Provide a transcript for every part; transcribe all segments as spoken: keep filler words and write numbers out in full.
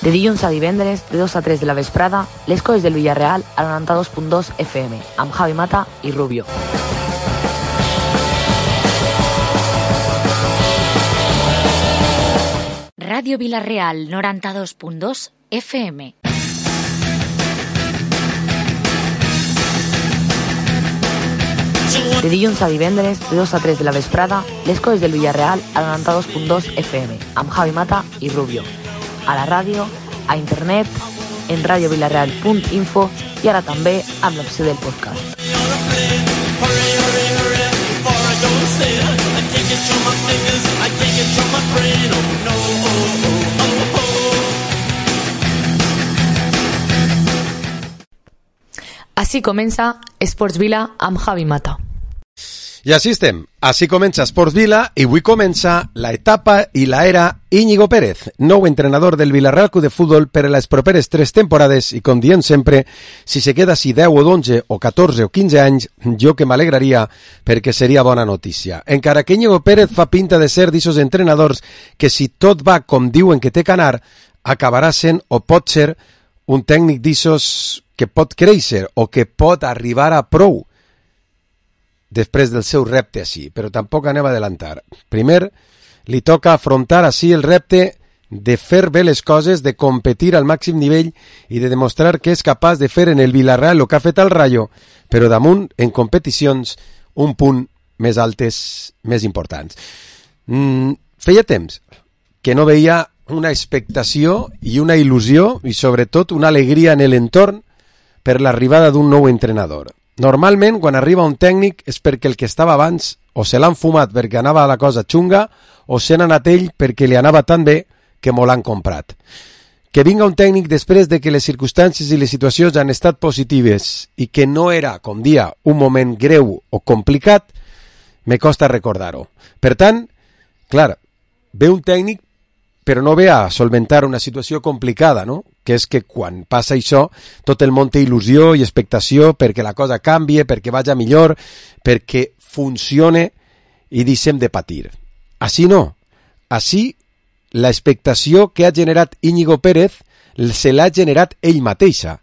De dilluns a divendres, de dos a tres de la vesprada, les coses del Villarreal a noranta-dos punt dos F M, amb Javi Mata i Rubio. Ràdio Villarreal, noranta-dos punt dos F M. De dilluns a divendres, de dos a tres de la vesprada, les coses del Villarreal a noranta-dos punt dos F M, amb Javi Mata i Rubio. A la ràdio, a internet, en radiovillarreal punt info i ara també amb l'opció del podcast. Així comença Esports Vila amb Javi Mata. I així estem, així comença Esports Vila i avui comença la etapa i la era Íñigo Pérez, nou entrenador del Villarreal Club de Futbol per a les properes tres temporades i com diem sempre, si se queda així deu o onze o catorze o quinze anys, jo que m'alegraria perquè seria bona notícia. Encara que Íñigo Pérez fa pinta de ser d'ixos entrenadors que si tot va com diuen que té que anar, acabarà sent o pot ser un tècnic d'ixos que pot créixer o que pot arribar a prou després del seu repte així, però tampoc anem a adelantar. Primer, li toca afrontar així el repte de fer bé les coses, de competir al màxim nivell i de demostrar que és capaç de fer en el Villarreal el que ha fet al Rayo, però damunt, en competicions, un punt més altes, més importants. Mm, feia temps que no veia una expectació i una il·lusió i sobretot una alegria en l'entorn per l'arribada d'un nou entrenador. Normalment, quan arriba un tècnic és perquè el que estava abans o se l'han fumat perquè anava la cosa xunga o se n'ha anat ell perquè li anava tan bé que mo l'han comprat. Que vinga un tècnic després de que les circumstàncies i les situacions han estat positives i que no era, com dia, un moment greu o complicat, me costa recordar-ho. Per tant, clar, ve un tècnic però no ve a solventar una situació complicada, no? Que és que quan passa això, tot el món té il·lusió i expectació perquè la cosa canvie, perquè vagi millor, perquè funcione i deixem de patir. Així no. Així, l'expectació que ha generat Íñigo Pérez se l'ha generat ell mateixa.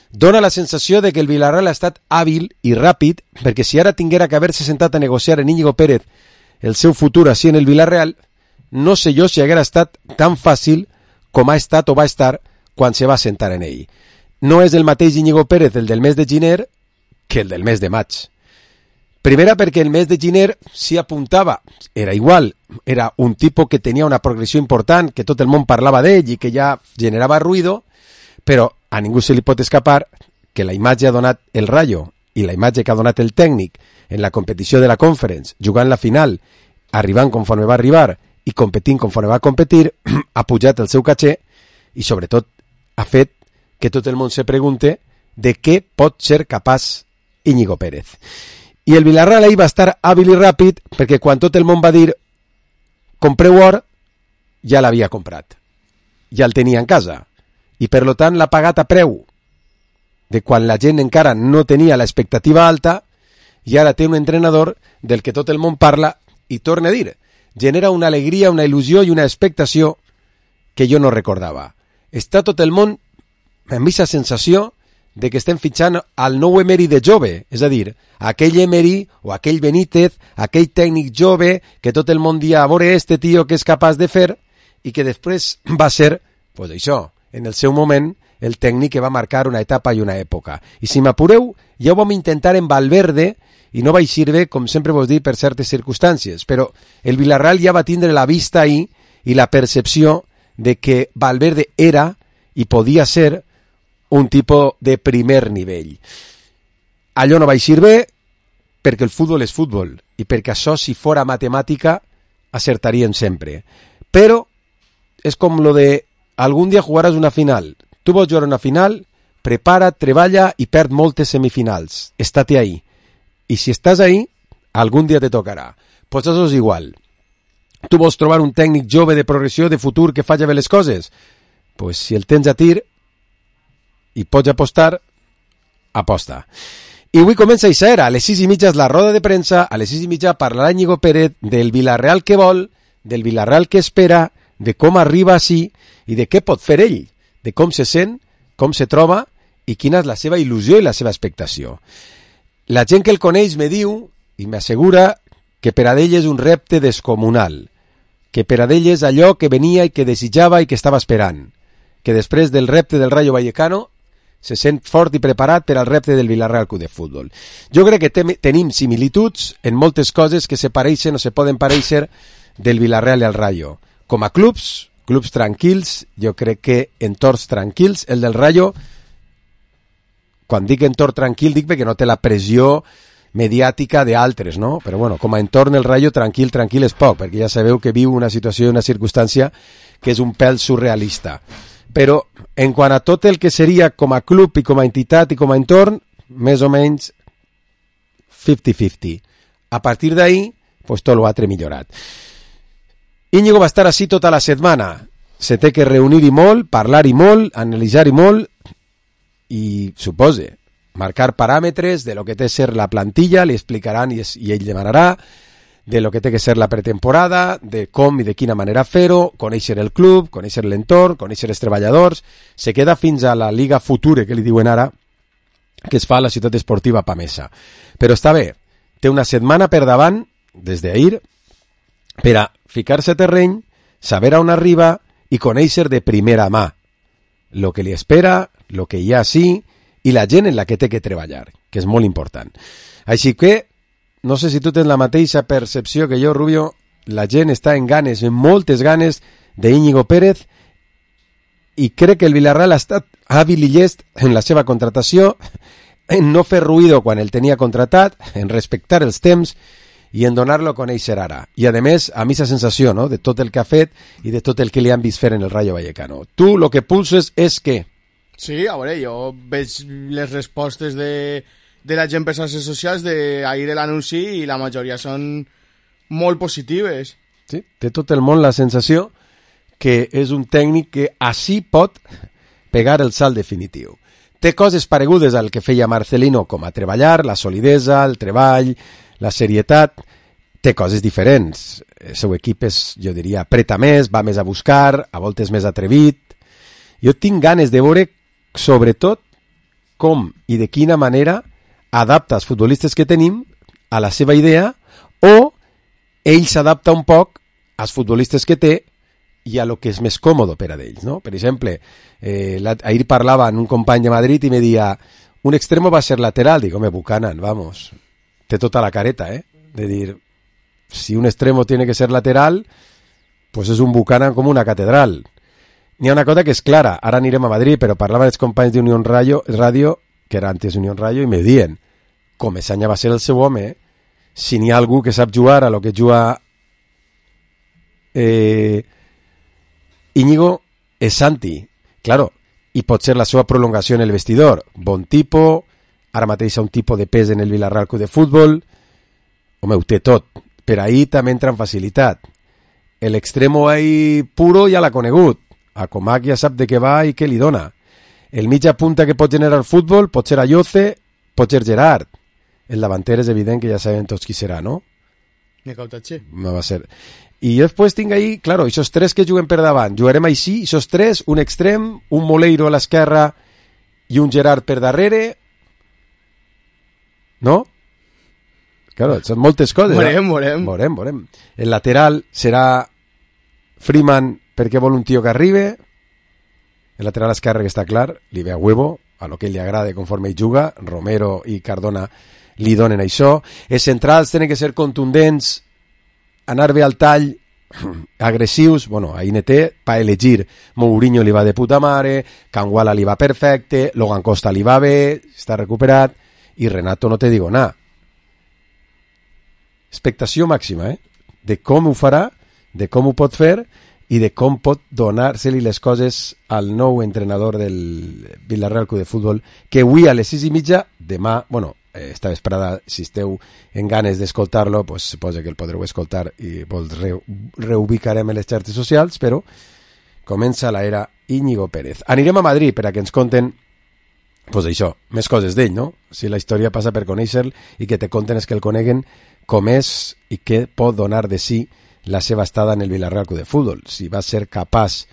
Dona la sensació de que el Villarreal ha estat hàbil i ràpid, perquè si ara tinguera que haver-se sentat a negociar en Íñigo Pérez el seu futur així en el Villarreal, no sé jo si haguera estat tan fàcil com ha estat o va estar quan se va sentar en ell. No és el mateix Íñigo Pérez el del mes de gener que el del mes de maig. Primera perquè el mes de gener s'hi apuntava, era igual, era un tipus que tenia una progressió important, que tot el món parlava d'ell i que ja generava ruïdo, però a ningú se li pot escapar que la imatge ha donat el Rayo i la imatge que ha donat el tècnic en la competició de la Conference, jugant la final, arribant conforme va arribar i competint conforme va competir, ha pujat el seu caché i sobretot ha fet que tot el món se pregunte de què pot ser capaç Íñigo Pérez. I el Villarreal ahir va estar hàbil i ràpid perquè quan tot el món va dir compreu or, ja l'havia comprat. Ja el tenia en casa. I per lo tant l'ha pagat a preu de quan la gent encara no tenia l'expectativa alta i ara té un entrenador del que tot el món parla i torna a dir genera una alegria, una il·lusió i una expectació que jo no recordava. Està tot el món amb aquesta sensació de que estem fitxant al nou Emery de jove, és a dir, aquell Emery o aquell Benítez, aquell tècnic jove que tot el món dia a veure este tio que és capaç de fer i que després va ser, pues això, en el seu moment, el tècnic que va marcar una etapa i una època. I si m'apureu, ja ho vam intentar en Valverde i no va eixir bé, com sempre vos dic, per certes circumstàncies, però el Villarreal ja va tindre la vista ahí i la percepció de que Valverde era i podia ser un tipus de primer nivell. Allò no va eixir bé perquè el futbol és futbol i perquè això, si fora matemàtica, acertaríem sempre. Però és com lo de algun dia jugaràs una final. Tu vols jugar una final, prepara, treballa i perd moltes semifinals. Estate ahí. I si estàs ahí, algun dia te tocarà. Pues això és igual. Tu vols trobar un tècnic jove de progressió, de futur, que faci bé les coses? Pues si el tens a tir i pots apostar, aposta. I avui comença a era. A les sis i mitja és la roda de premsa, a les sis i mitja parlarà Íñigo Pérez del Villarreal que vol, del Villarreal que espera, de com arriba així i de què pot fer ell. de com se sent, com se troba i quina és la seva il·lusió i la seva expectació. La gent que el coneix me diu i m'assegura que per a ell és un repte descomunal, que per a ell és allò que venia i que desitjava i que estava esperant, que després del repte del Rayo Vallecano se sent fort i preparat per al repte del Villarreal Club de Futbol. Jo crec que te- tenim similituds en moltes coses que se pareixen o se poden pareixer del Villarreal i al Rayo. Com a clubs, clubs tranquils, jo crec que entorns tranquils, el del Rayo, quan dic entorn tranquil dic perquè no té la pressió mediàtica d'altres, no? Però bueno, com a entorn el Rayo tranquil, tranquil és poc, perquè ja sabeu que viu una situació i una circumstància que és un pèl surrealista. Però en quant a tot el que seria com a club i com a entitat i com a entorn, més o menys cinquanta cinquanta. A partir d'ahí, pues tot l'altre millorat. Íñigo va estar així tota la setmana. Se té que reunir-hi molt, parlar-hi molt, analitzar-hi molt i, supose, marcar paràmetres de lo que té que ser la plantilla, li explicaran i, es, i ell demanarà, de lo que té que ser la pretemporada, de com i de quina manera fer-ho, conèixer el club, conèixer l'entorn, conèixer els treballadors. Se queda fins a la Liga Future, que li diuen ara, que es fa a la ciutat esportiva Pamesa. Però està bé, té una setmana per davant, des d'ahir, per a ficar-se a terreny, saber a on arriba i conèixer de primera mà lo que li espera, lo que hi ha sí, i la gent en la que té que treballar, que és molt important. Així que, no sé si tu tens la mateixa percepció que jo, Rubio, la gent està en ganes, en moltes ganes d'Íñigo Pérez, i crec que el Villarreal ha estat hàbil i llest en la seva contratació, en no fer ruïdo quan el tenia contratat, en respectar els temps i en donar-lo a conèixer ara. I a més, a mi la sensació, no?, de tot el que ha fet i de tot el que li han vist fer en el Rayo Vallecano. Tu lo que pulses és que... Sí, a veure, jo veig les respostes de, de la gent per xarxes socials d'ahir l'anunci i la majoria són molt positives. Sí, té tot el món la sensació que és un tècnic que així pot pegar el salt definitiu. Té coses paregudes al que feia Marcelino, com a treballar, la solidesa, el treball, la serietat. Té coses diferents. El seu equip és, jo diria, apreta més, va més a buscar, a voltes més atrevit. Jo tinc ganes de veure, sobretot, com i de quina manera adapta els futbolistes que tenim a la seva idea, o ell s'adapta un poc als futbolistes que té i a lo que és més còmode per a ells, no? Per exemple, eh, la, ahir parlava amb un company de Madrid i me deia, un extremo va ser lateral. Dic, home, Buchanan, vamos, té tota la careta, eh? De dir, si un extremo tiene que ser lateral, pues és un Buchanan com una catedral. N'hi ha una cosa que és clara, ara anirem a Madrid, però parlava els companys d'Unión Radio, Radio, que era antes Unión Radio, i me dient, Comesaña va ser el seu home, eh? Si n'hi ha algú que sap jugar a lo que juga eh, Íñigo, és Santi, claro, i pot ser la seva prolongació en el vestidor. Bon tipo, ara mateix un tipus de pes en el Villarreal Club de Futbol, home, ho té tot, per ahí també entra amb facilitat. L'extremo ahí puro ja l'ha conegut, a Comac ja sap de què va i què li dona. El mitja punta que pot generar futbol pot ser Ayoce, pot ser Gerard. El davanter és evident que ja sabem tots qui serà, no? Necautache. No va ser. I jo després tinc ahí, claro, esos tres que juguen per davant, jugarem així, esos tres, un extrem, un Moleiro a l'esquerra i un Gerard per darrere, no? Claro, són moltes coses. Morem, morem. Morem, morem. El lateral serà Freeman perquè vol un tio que arribe, el lateral esquerre que està clar, li ve a huevo, a lo que ell li agrada conforme ell juga, Romero i Cardona li donen això. Els centrals tenen que ser contundents, anar bé al tall, agressius. Bueno, ahí ne té, pa elegir. Mourinho li va de puta mare, Canguala li va perfecte, Logan Costa li va bé, està recuperat, i Renato no te digo nada. Expectació màxima, eh? De com ho farà, de com ho pot fer i de com pot donar-se-li les coses al nou entrenador del Villarreal Club de Futbol, que avui a les sis i mitja, demà, bueno, esta vesprada, si esteu en ganes d'escoltar-lo, pues suposa que el podreu escoltar i vos re reubicarem en les xarxes socials, però comença l'era Íñigo Pérez. Anirem a Madrid per a que ens conten, pues això, més coses d'ell, no? Si la història passa per conèixer-lo i que te conten és que el coneguen com és i què pot donar de si la seva estada en el Villarreal Club de Futbol, si va ser capaç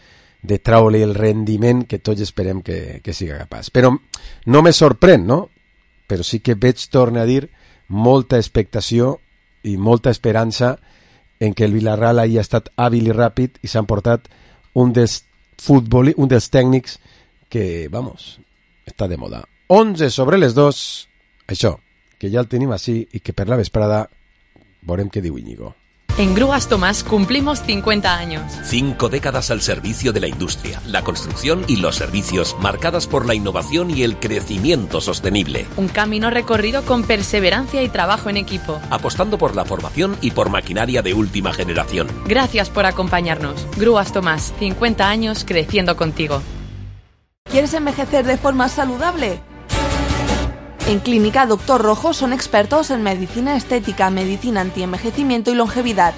de traure el rendiment que tots esperem que, que siga capaç. Però no me sorprèn, no? Però sí que veig, torno a dir, molta expectació i molta esperança en que el Villarreal hagi estat hàbil i ràpid i s'han portat un dels futbol, un dels tècnics que, vamos, està de moda. onze sobre les dos, això, que ja el tenim així i que per la vesprada veurem què diu Íñigo. En Grúas Tomás cumplimos cincuenta años. Cinco décadas al servicio de la industria, la construcción y los servicios, marcadas por la innovación y el crecimiento sostenible. Un camino recorrido con perseverancia y trabajo en equipo. Apostando por la formación y por maquinaria de última generación. Gracias por acompañarnos. Grúas Tomás, cincuenta años creciendo contigo. ¿Quieres envejecer de forma saludable? En Clínica Doctor Rojo son expertos en medicina estética, medicina antienvejecimiento y longevidad.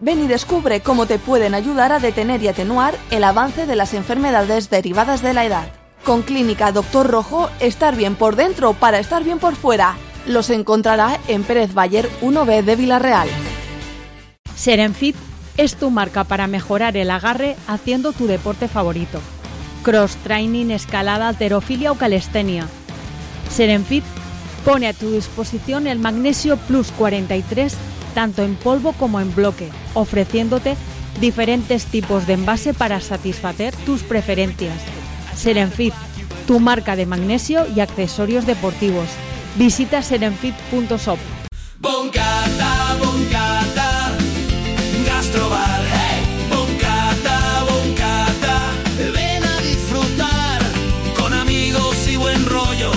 Ven y descubre cómo te pueden ayudar a detener y atenuar el avance de las enfermedades derivadas de la edad. Con Clínica Doctor Rojo, estar bien por dentro para estar bien por fuera. Los encontrará en Pérez Bayer uno B de Villarreal. Serenfit es tu marca para mejorar el agarre haciendo tu deporte favorito. Cross training, escalada, halterofilia o calistenia. Serenfit pone a tu disposición el Magnesio Plus cuarenta y tres tanto en polvo como en bloque, ofreciéndote diferentes tipos de envase para satisfacer tus preferencias. Serenfit, tu marca de magnesio y accesorios deportivos. Visita serenfit punto shop. Boncata, boncata, gastrobar. Hey. Boncata, boncata, ven a disfrutar con amigos y buen rollo.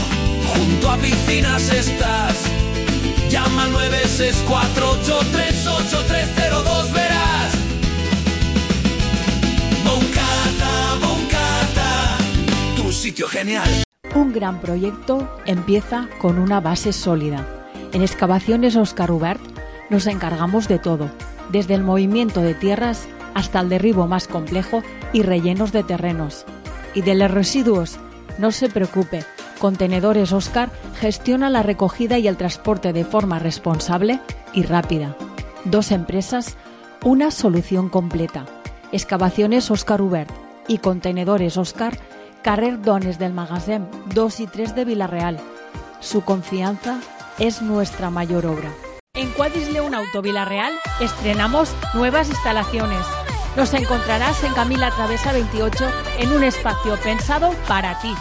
Junto a piscinas estás. Llama al nueve seis cuatro ocho tres ocho tres cero dos, verás. Boncata, boncata, tu sitio genial. Un gran proyecto empieza con una base sólida. En Excavaciones Óscar Ubert nos encargamos de todo, desde el movimiento de tierras hasta el derribo más complejo y rellenos de terrenos. Y de los residuos, no se preocupe, Contenedores Óscar gestiona la recogida y el transporte de forma responsable y rápida. Dos empresas, una solución completa. Excavaciones Óscar Ubert y Contenedores Óscar, carrer Dones del Magasin dos y tres de Villarreal. Su confianza es nuestra mayor obra. En Quadis León Auto Villarreal estrenamos nuevas instalaciones. Nos encontrarás en Camila Travesa veintiocho en un espacio pensado para ti.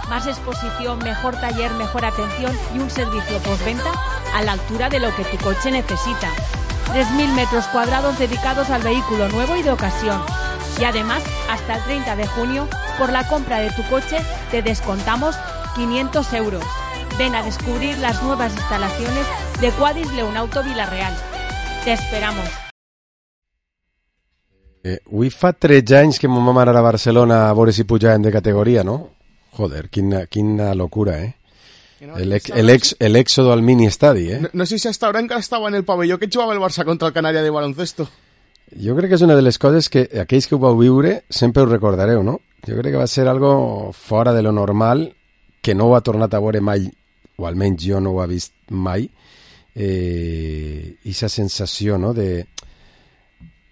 Más exposición, mejor taller, mejor atención y un servicio postventa a la altura de lo que tu coche necesita. tres mil metros cuadrados dedicados al vehículo nuevo y de ocasión. Y además, hasta el treinta de junio, por la compra de tu coche, te descontamos quinientos euros. Ven a descubrir las nuevas instalaciones de Quadis León Auto Villarreal. Te esperamos. Eh, avui fa tretze anys que mon vam anar a Barcelona a veure si pujàvem de categoria, no? Joder, quina, quina locura, eh? El, ex, el, ex, el éxodo al mini estadi, eh? No, no sé si hasta ahora encara estava en el pavelló que jugava el Barça contra el Canària de baloncesto. Jo crec que és una de les coses que aquells que ho vau viure sempre us recordareu, no? Jo crec que va ser algo fora de lo normal, que no ho ha tornat a veure mai, o almenys jo no ho he vist mai, eh, esa sensació, no?, de,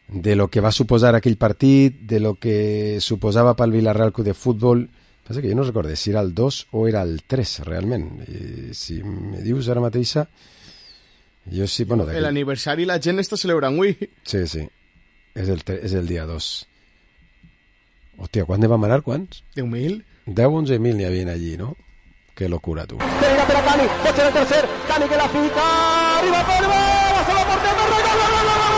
de lo que va suposar aquell partit, de lo que suposava pel Villarreal Club de Futbol. Passa que jo no recordo si era el dos o era el tres, realment. I si me dius ara mateixa, jo sí, bueno... L'aniversari la gent està celebrant avui. Sí, sí, és el, és el dia dos. Hòstia, quan ne vam anar? Quants? deu mil. deu o onze mil n'hi havia allí, no? Que locura, tu. Venga, per a Cani, pot ser el tercer, Cani que la fica, arriba per la sola portera, gol, gol, gol, gol, gol,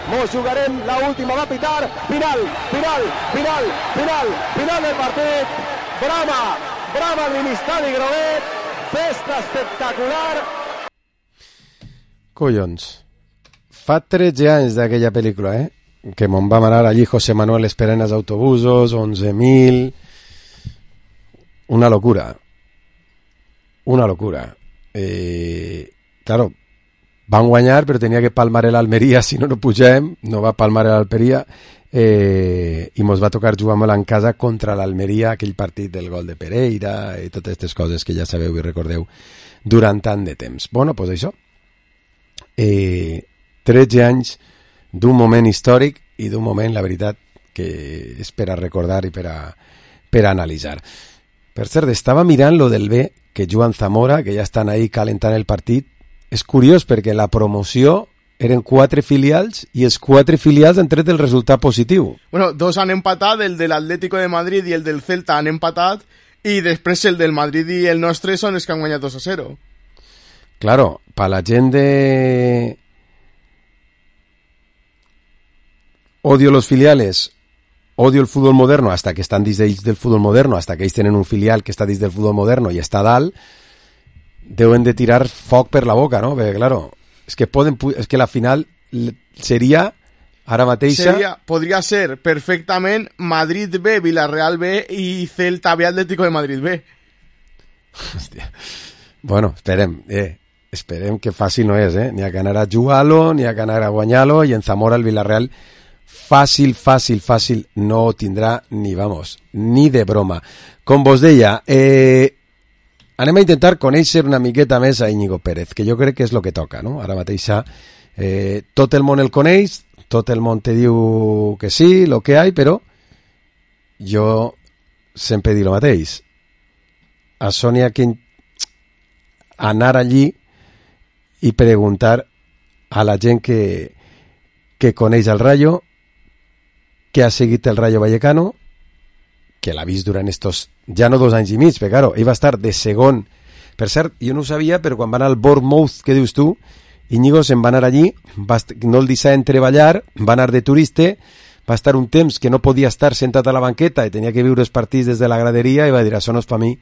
Mos jugarem l'última, va pitar, final, final, final, final, final del partit, brama, brama al Ministeri Groguet, festa espectacular. Collons, fa tretze anys d'aquella pel·lícula, eh? Que me'n vam anar allí José Manuel esperant els autobusos, once mil... Una locura. Una locura. Eh, claro, van guanyar, però tenia que palmar l'Almeria, si no no pugem, no va palmar l'Almeria, eh, i mos va tocar jugar molt en casa contra l'Almeria, aquell partit del gol de Pereira i totes aquestes coses que ja sabeu i recordeu durant tant de temps. Bueno, doncs això. Eh, tretze anys d'un moment històric i d'un moment, la veritat, que és per a recordar i per a, per a analitzar. Per cert, estava mirant lo del B, que Joan Zamora, que ja estan ahí calentant el partit. És curiós perquè la promoció eren quatre filials i els quatre filials han tret el resultat positiu. Bueno, dos han empatat, el de l'Atlético de Madrid i el del Celta han empatat, i després el del Madrid i el nostre són els que han guanyat dos a zero. Claro, para la gent de... Odio los filiales, odio el fútbol moderno, hasta que están dins d'ells del fútbol moderno, hasta que ells tenen un filial que està dins del fútbol moderno i està dalt, deuen de tirar foc per la boca, no? Perquè, claro, és que poden, és que la final seria ara mateixa... Seria, podria ser perfectament Madrid B, Villarreal B i Celta B, Atlético de Madrid B. Hòstia. Bueno, esperem, eh, esperem que fàcil no és, eh? N'hi ha que anar a jugar-lo, n'hi ha que anar a guanyar-lo, i en Zamora el Villarreal fàcil, fàcil, fàcil no ho tindrà ni, vamos, ni de broma. Com vos deia, eh, anem a intentar conèixer una miqueta més a Íñigo Pérez, que jo crec que és el que toca, no? Ara mateixa eh, tot el món el coneix, tot el món te diu que sí, lo que hay, però jo sempre dic el mateix. A Sònia que anar allí i preguntar a la gent que, que coneix el Rayo, que ha seguit el Rayo Vallecano, que l'ha vist durant estos, ja no dos anys i mig, però claro, ell va estar de segon. Per cert, jo no ho sabia, però quan va anar al Bournemouth, que dius tu, Íñigo se'n va anar allí, va, no el deixaven treballar, va anar de turista, va estar un temps que no podia estar sentat a la banqueta i tenia que viure els partits des de la graderia i va dir, això no és per mi,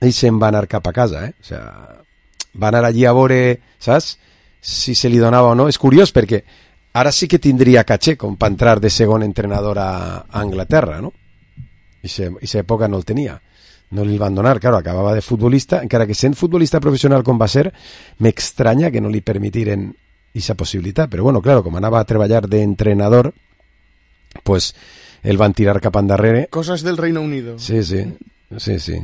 i se'n va anar cap a casa, eh? O sea, va anar allí a veure, saps, si se li donava o no. És curiós perquè ara sí que tindria caché com per entrar de segon entrenador a, a Anglaterra, no? I aquesta època no el tenia, no li van donar, claro, acabava de futbolista, encara que sent futbolista professional com va ser, m'extranya que no li permitiren aquesta possibilitat, però bueno, claro, com anava a treballar d'entrenador, pues el van tirar cap endarrere. Cosas del Reino Unido. Sí, sí, sí, sí.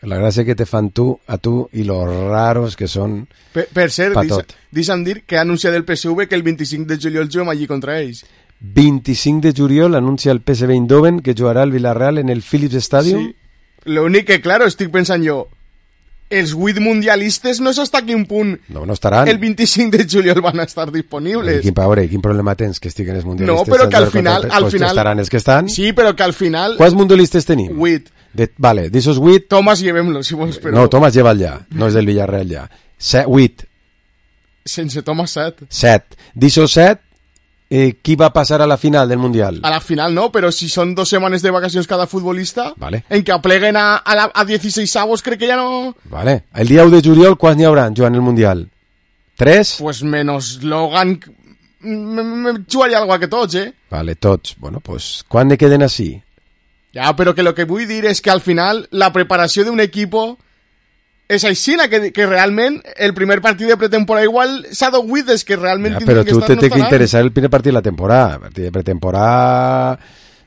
La gràcia que te fan tu a tu i los raros que són per, per cert, deixa'm dir que ha anunciat el P S V que el vint-i-cinc de juliol juguem allí contra ells. vint-i-cinc de juliol anuncia el P S V Eindhoven que jugarà el Villarreal en el Philips Stadium. Sí. L'únic que, claro, estic pensant jo, els vuit mundialistes no és hasta quin punt no, no estaran. El vint-i-cinc de juliol van a estar disponibles. Quin, veure, quin problema tens que estiguen els mundialistes? No, però que al final... Al pues final estaran els que estan. Sí, però que al final... Quants mundialistes tenim? Vuit. De, vale, d'aixòs vuit... Tomàs, llevem-lo, si vols, però... No, Tomàs lleva'l ja, no és del Villarreal ja. Set, vuit. Sense Tomàs, set. Set. D'aixòs set, eh, qui va passar a la final del Mundial? A la final no, però si són dos setmanes de vacacions cada futbolista, vale. En que apleguen a, a, la, a dieciséis avos, crec que ja no... Vale. El dia u de juliol, quants n'hi haurà jugant el Mundial? Tres? Pues menos Logan... Me jugaria algo que tots, eh? Vale, tots. Bueno, pues, quan ne queden així? Ja, però que lo que vull dir és que al final la preparació d'un equip és així, que, que realment el primer partit de pretemporada igual s'ha d'oït des que realment... Ja, però tu te té que interessar el primer partit de la temporada. El partit de pretemporada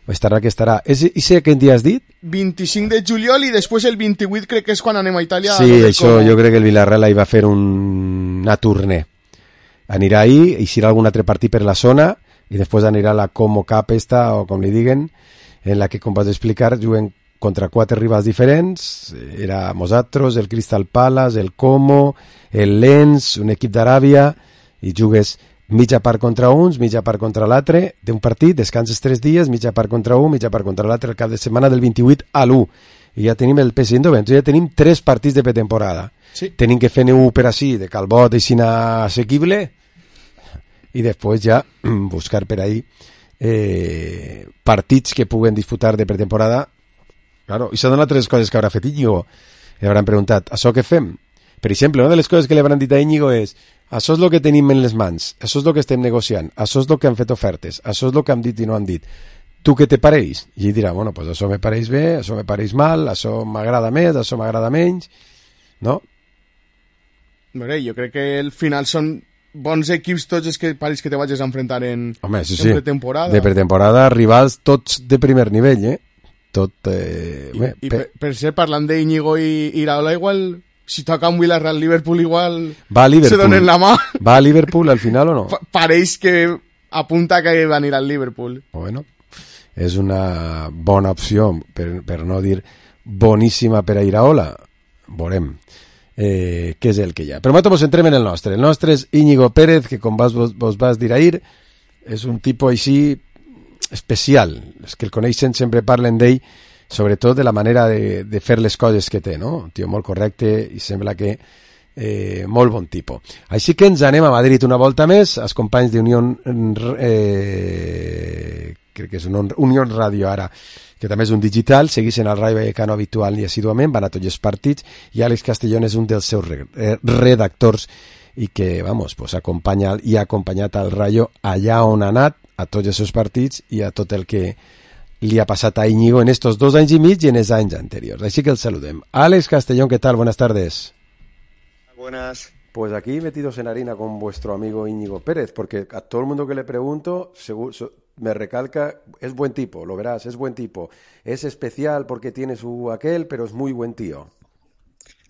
estarà que estarà. I sé quin dia has dit? vint-i-cinc de juliol i després el vint-i-vuit crec que és quan anem a Itàlia. Sí, això com... jo crec que el Villarreal hi va fer un... una tournée. Anirà ahí, eixirà algun altre partit per la zona i després anirà a la Como Cup esta, o com li diguen, en la que, com vas explicar, juguen contra quatre rivals diferents. Era nosaltres, el Crystal Palace, el Como, el Lens, un equip d'Aràbia, i jugues mitja part contra uns, mitja part contra l'altre d'un partit, descanses tres dies, mitja part contra un, mitja part contra l'altre, el cap de setmana del vint-i-vuit a l'u. I ja tenim el P S V Eindhoven, ja tenim tres partits de pretemporada. Sí. Tenim que fer un per així, de Calbot i Sina assequible, i després ja buscar per ahí eh, partits que puguen disputar de pretemporada. Claro, i són altres coses que haurà fet Íñigo. Li hauran preguntat, això què fem? Per exemple, una de les coses que li hauran dit a Íñigo és, Això és el que tenim en les mans, això és el que estem negociant, això és el que han fet ofertes, això és el que han dit i no han dit. Tu què te pareix? I ell dirà, bueno, pues això me pareix bé, això me pareix mal, això m'agrada més, això m'agrada menys, no? Bé, jo crec que al final són bons equips tots els que pareix que te vagis a enfrontar en, Home, sí, en sí. pretemporada. De pretemporada, rivals tots de primer nivell, eh? Tot... Eh, I, bé, i per, per ser, parlant d'Íñigo i Iraola, igual... Si toca un Villarreal Liverpool igual va a Liverpool. Se donen la mà. ¿Va a Liverpool al final o no? Pa pareix que apunta que va a ir al Liverpool. Bueno, és una bona opció, per, per no dir boníssima per a Iraola. Veurem eh, què és el que hi ha. Però nosaltres ens entrem en el nostre. El nostre és Íñigo Pérez, que com vas, vos, vos vas dir ahir, és un tipus així especial. Els que el coneixen sempre parlen d'ell, sobretot de la manera de, de fer les coses que té, no? Un tio molt correcte i sembla que eh, molt bon tipus. Així que ens anem a Madrid una volta més, els companys d'Unió eh, crec que és un Unió Radio ara, que també és un digital, segueixen el Rayo Vallecano habitual i assiduament, van a tots els partits, i Àlex Castellón és un dels seus redactors i que, vamos, pues, acompanya i ha acompanyat al Rayo allà on ha anat, a tots els seus partits i a tot el que li ha passat a Íñigo en estos dos anys y mig y en els anys anteriors. Així que el saludem. Àlex Castellón, ¿qué tal? Buenas tardes. Buenas. Pues aquí metidos en harina con vuestro amigo Íñigo Pérez, porque a todo el mundo que le pregunto seguro, me recalca, es buen tipo, lo verás, es buen tipo. Es especial porque tiene su aquel, pero es muy buen tío.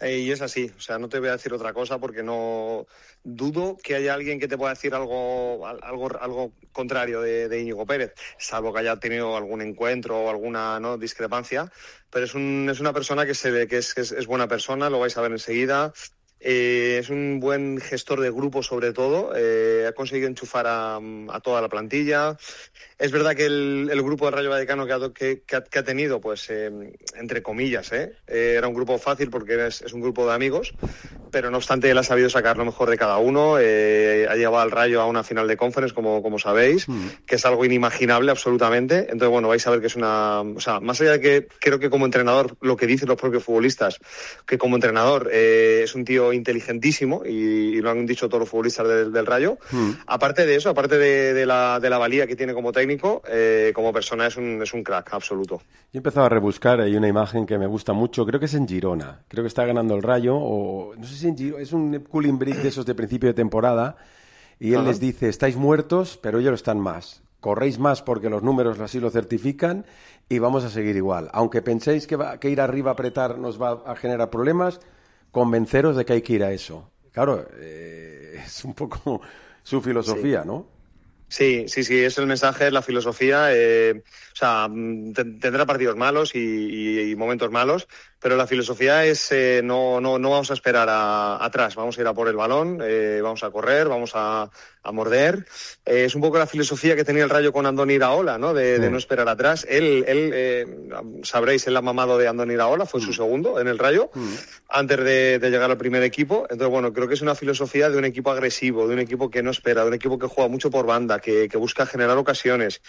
Eh, y es así, o sea, no te voy a decir otra cosa porque no dudo que haya alguien que te pueda decir algo algo, algo contrario de, de Íñigo Pérez, salvo que haya tenido algún encuentro o alguna ¿no? discrepancia, pero es, un, es una persona que se ve que es, que es, es buena persona, lo vais a ver enseguida. Eh, es un buen gestor de grupo sobre todo, eh, ha conseguido enchufar a, a toda la plantilla. Es verdad que el, el grupo de Rayo Vallecano que ha, que, que ha, que ha tenido, pues, eh, entre comillas, eh, eh, era un grupo fácil porque es, es un grupo de amigos, pero no obstante él ha sabido sacar lo mejor de cada uno, eh, ha llevado al Rayo a una final de Conference, como, como sabéis, mm. que es algo inimaginable absolutamente. Entonces, bueno, vais a ver que es una... O sea, más allá de que creo que como entrenador, lo que dicen los propios futbolistas, que como entrenador eh, es un tío inteligentísimo y, y lo han dicho todos los futbolistas del, del Rayo. Mm. Aparte de eso, aparte de, de, la, de la valía que tiene como técnico, eh, como persona es un, es un crack absoluto. Yo he empezado a rebuscar, hay una imagen que me gusta mucho, creo que es en Girona, creo que está ganando el Rayo, o no sé si en Girona, es un cooling break de esos de principio de temporada, y él Ajá. les dice, estáis muertos, pero ellos están más. Corréis más porque los números así lo certifican y vamos a seguir igual. Aunque penséis que, va, que ir arriba a apretar nos va a generar problemas, convenceros de que hay que ir a eso. Claro, eh, es un poco su filosofía, sí. ¿no? Sí, sí, sí, es el mensaje, es la filosofía. Eh, o sea, tendrá partidos malos y, y, y momentos malos, pero la filosofía es eh, no, no, no vamos a esperar a, atrás, vamos a ir a por el balón, eh, vamos a correr, vamos a, a morder. Eh, es un poco la filosofía que tenía el Rayo con Andoni Iraola, ¿no? De, sí. de no esperar atrás. Él, él eh, sabréis, él ha mamado de Andoni Iraola, fue mm. su segundo en el Rayo, mm. antes de, de llegar al primer equipo. Entonces, bueno, creo que es una filosofía de un equipo agresivo, de un equipo que no espera, de un equipo que juega mucho por banda, que, que busca generar ocasiones.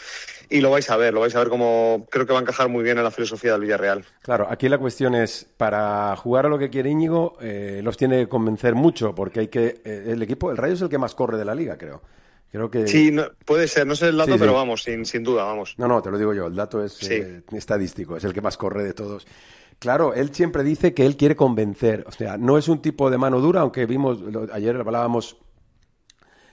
Y lo vais a ver, lo vais a ver como creo que va a encajar muy bien en la filosofía del Villarreal. Claro, aquí la cuestión es, para jugar a lo que quiere Íñigo, eh, los tiene que convencer mucho, porque hay que eh, el equipo, el Rayo es el que más corre de la liga, creo. Creo que... Sí, no, puede ser, no sé el dato, sí, sí. pero vamos, sin, sin duda, vamos. No, no, te lo digo yo, el dato es sí. eh, estadístico, es el que más corre de todos. Claro, él siempre dice que él quiere convencer, o sea, no es un tipo de mano dura, aunque vimos, lo, ayer hablábamos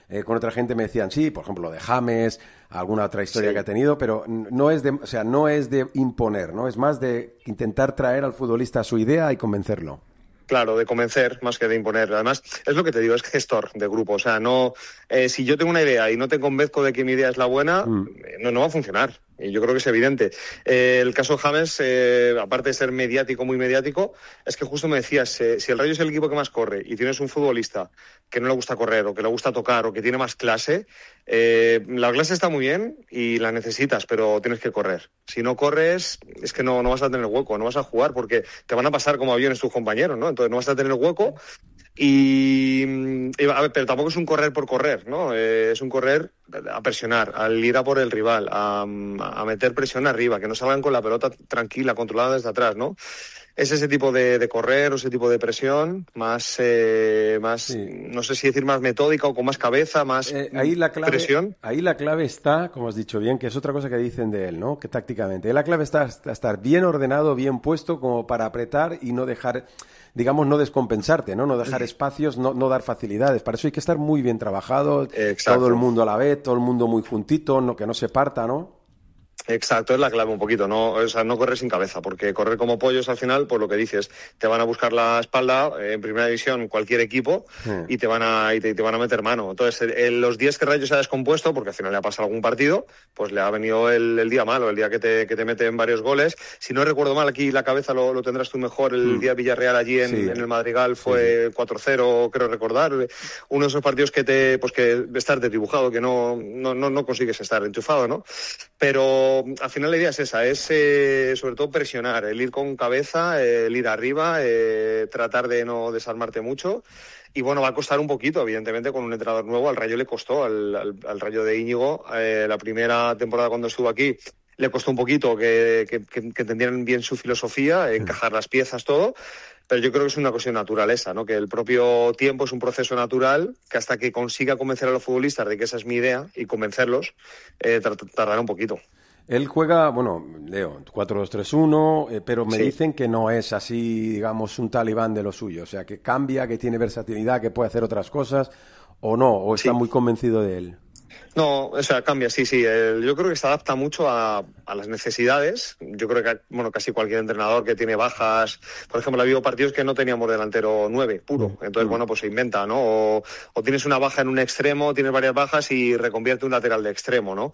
eh, con otra gente, me decían, sí, por ejemplo, lo de James, alguna otra historia sí. que ha tenido, pero no es de, o sea, no es de imponer, ¿no? Es más de intentar traer al futbolista a su idea y convencerlo. Claro, de convencer más que de imponer. Además, es lo que te digo, es gestor de grupo. O sea, no, eh, si yo tengo una idea y no te convenzco de que mi idea es la buena, mm. no, no va a funcionar. Y yo creo que es evidente. Eh, el caso de James, eh, aparte de ser mediático, muy mediático, es que justo me decías, eh, si el Rayo es el equipo que más corre y tienes un futbolista que no le gusta correr o que le gusta tocar o que tiene más clase, eh, la clase está muy bien y la necesitas, pero tienes que correr. Si no corres, es que no, no vas a tener hueco, no vas a jugar porque te van a pasar como aviones tus compañeros, ¿no? Entonces no vas a tener hueco. Y, y a ver, pero tampoco es un correr por correr, ¿no? Eh, es un correr a presionar, al ir a por el rival, a, a meter presión arriba, que no salgan con la pelota tranquila, controlada desde atrás, ¿no? Es ese tipo de, de correr o ese tipo de presión, más, eh, más sí. no sé si decir más metódica o con más cabeza, más eh, ahí la clave, presión. Ahí la clave está, como has dicho bien, que es otra cosa que dicen de él, ¿no? Que tácticamente. La clave está estar bien ordenado, bien puesto, como para apretar y no dejar, digamos, no descompensarte, ¿no? No dejar espacios, no, no dar facilidades. Para eso hay que estar muy bien trabajado, Exacto. todo el mundo a la vez, todo el mundo muy juntito, no, que no se parta, ¿no? Exacto, es la clave un poquito, ¿no? O sea, no correr sin cabeza, porque correr como pollos al final, por lo que dices, te van a buscar la espalda, eh, en primera división cualquier equipo, sí. y te van a y te, te van a meter mano. Entonces, en los días que Rayo se ha descompuesto, porque al final le ha pasado algún partido, pues le ha venido el, el día malo, el día que te, que te meten varios goles. Si no recuerdo mal, aquí la cabeza lo, lo tendrás tú mejor, el mm. día Villarreal allí en, sí. en el Madrigal fue sí. cuatro cero, creo recordar. Uno de esos partidos que te, pues que estar desdibujado, que no, no, no, no consigues estar enchufado, ¿no? Pero al final la idea es esa, es eh, sobre todo presionar, el ir con cabeza, el ir arriba, eh, tratar de no desarmarte mucho. Y bueno, va a costar un poquito, evidentemente, con un entrenador nuevo. Al Rayo le costó, al, al, al Rayo de Íñigo, eh, la primera temporada cuando estuvo aquí, le costó un poquito que, que, que, que entendieran bien su filosofía, encajar las piezas, todo. Pero yo creo que es una cuestión natural esa, ¿no? Que el propio tiempo es un proceso natural, que hasta que consiga convencer a los futbolistas de que esa es mi idea y convencerlos, eh, tardará un poquito. Él juega, bueno, Leo, cuatro dos tres uno, eh, pero me sí. dicen que no es así, digamos, un talibán de lo suyo. O sea, que cambia, que tiene versatilidad, que puede hacer otras cosas, o no, o está sí. muy convencido de él. No, o sea, cambia, sí, sí. El, yo creo que se adapta mucho a, a las necesidades. Yo creo que, bueno, casi cualquier entrenador que tiene bajas, por ejemplo, ha habido partidos que no teníamos delantero nueve, puro. Entonces, mm. bueno, pues se inventa, ¿no? O, o tienes una baja en un extremo, tienes varias bajas y reconvierte un lateral de extremo, ¿no?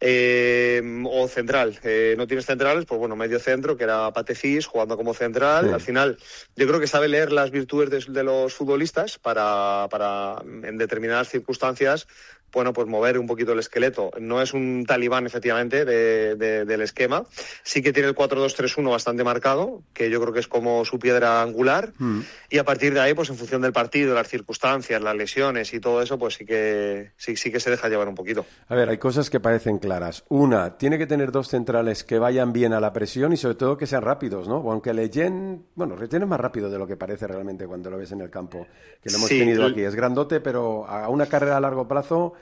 Eh, o central, eh, no tienes centrales, pues bueno, medio centro, que era Patefis, jugando como central. Sí. Al final, yo creo que sabe leer las virtudes de, de los futbolistas para, para, en determinadas circunstancias, bueno, pues mover un poquito el esqueleto. No es un talibán, efectivamente, de, de, del esquema. Sí que tiene el cuatro dos tres uno bastante marcado, que yo creo que es como su piedra angular. Mm. Y a partir de ahí, pues en función del partido, las circunstancias, las lesiones y todo eso, pues sí que sí, sí que se deja llevar un poquito. A ver, hay cosas que parecen claras. Una, tiene que tener dos centrales que vayan bien a la presión y sobre todo que sean rápidos, ¿no? Aunque Leyen, bueno, Leyen es más rápido de lo que parece realmente cuando lo ves en el campo, que lo hemos sí, tenido aquí. Es grandote, pero a una carrera a largo plazo,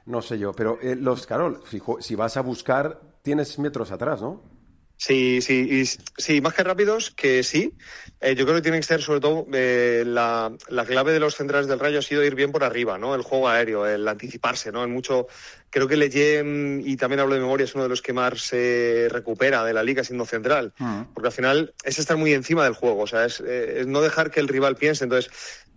no sé yo. Pero eh, los, claro, si, si vas a buscar, tienes metros atrás, ¿no? Sí, sí, y, sí, más que rápidos, que sí. Eh, yo creo que tiene que ser, sobre todo, eh, la, la clave de los centrales del Rayo ha sido ir bien por arriba, ¿no? El juego aéreo, el anticiparse, ¿no? En mucho, creo que Leyen, y también hablo de memoria, es uno de los que más se recupera de la liga siendo central. Uh-huh. Porque al final es estar muy encima del juego, o sea, es, eh, es no dejar que el rival piense. Entonces,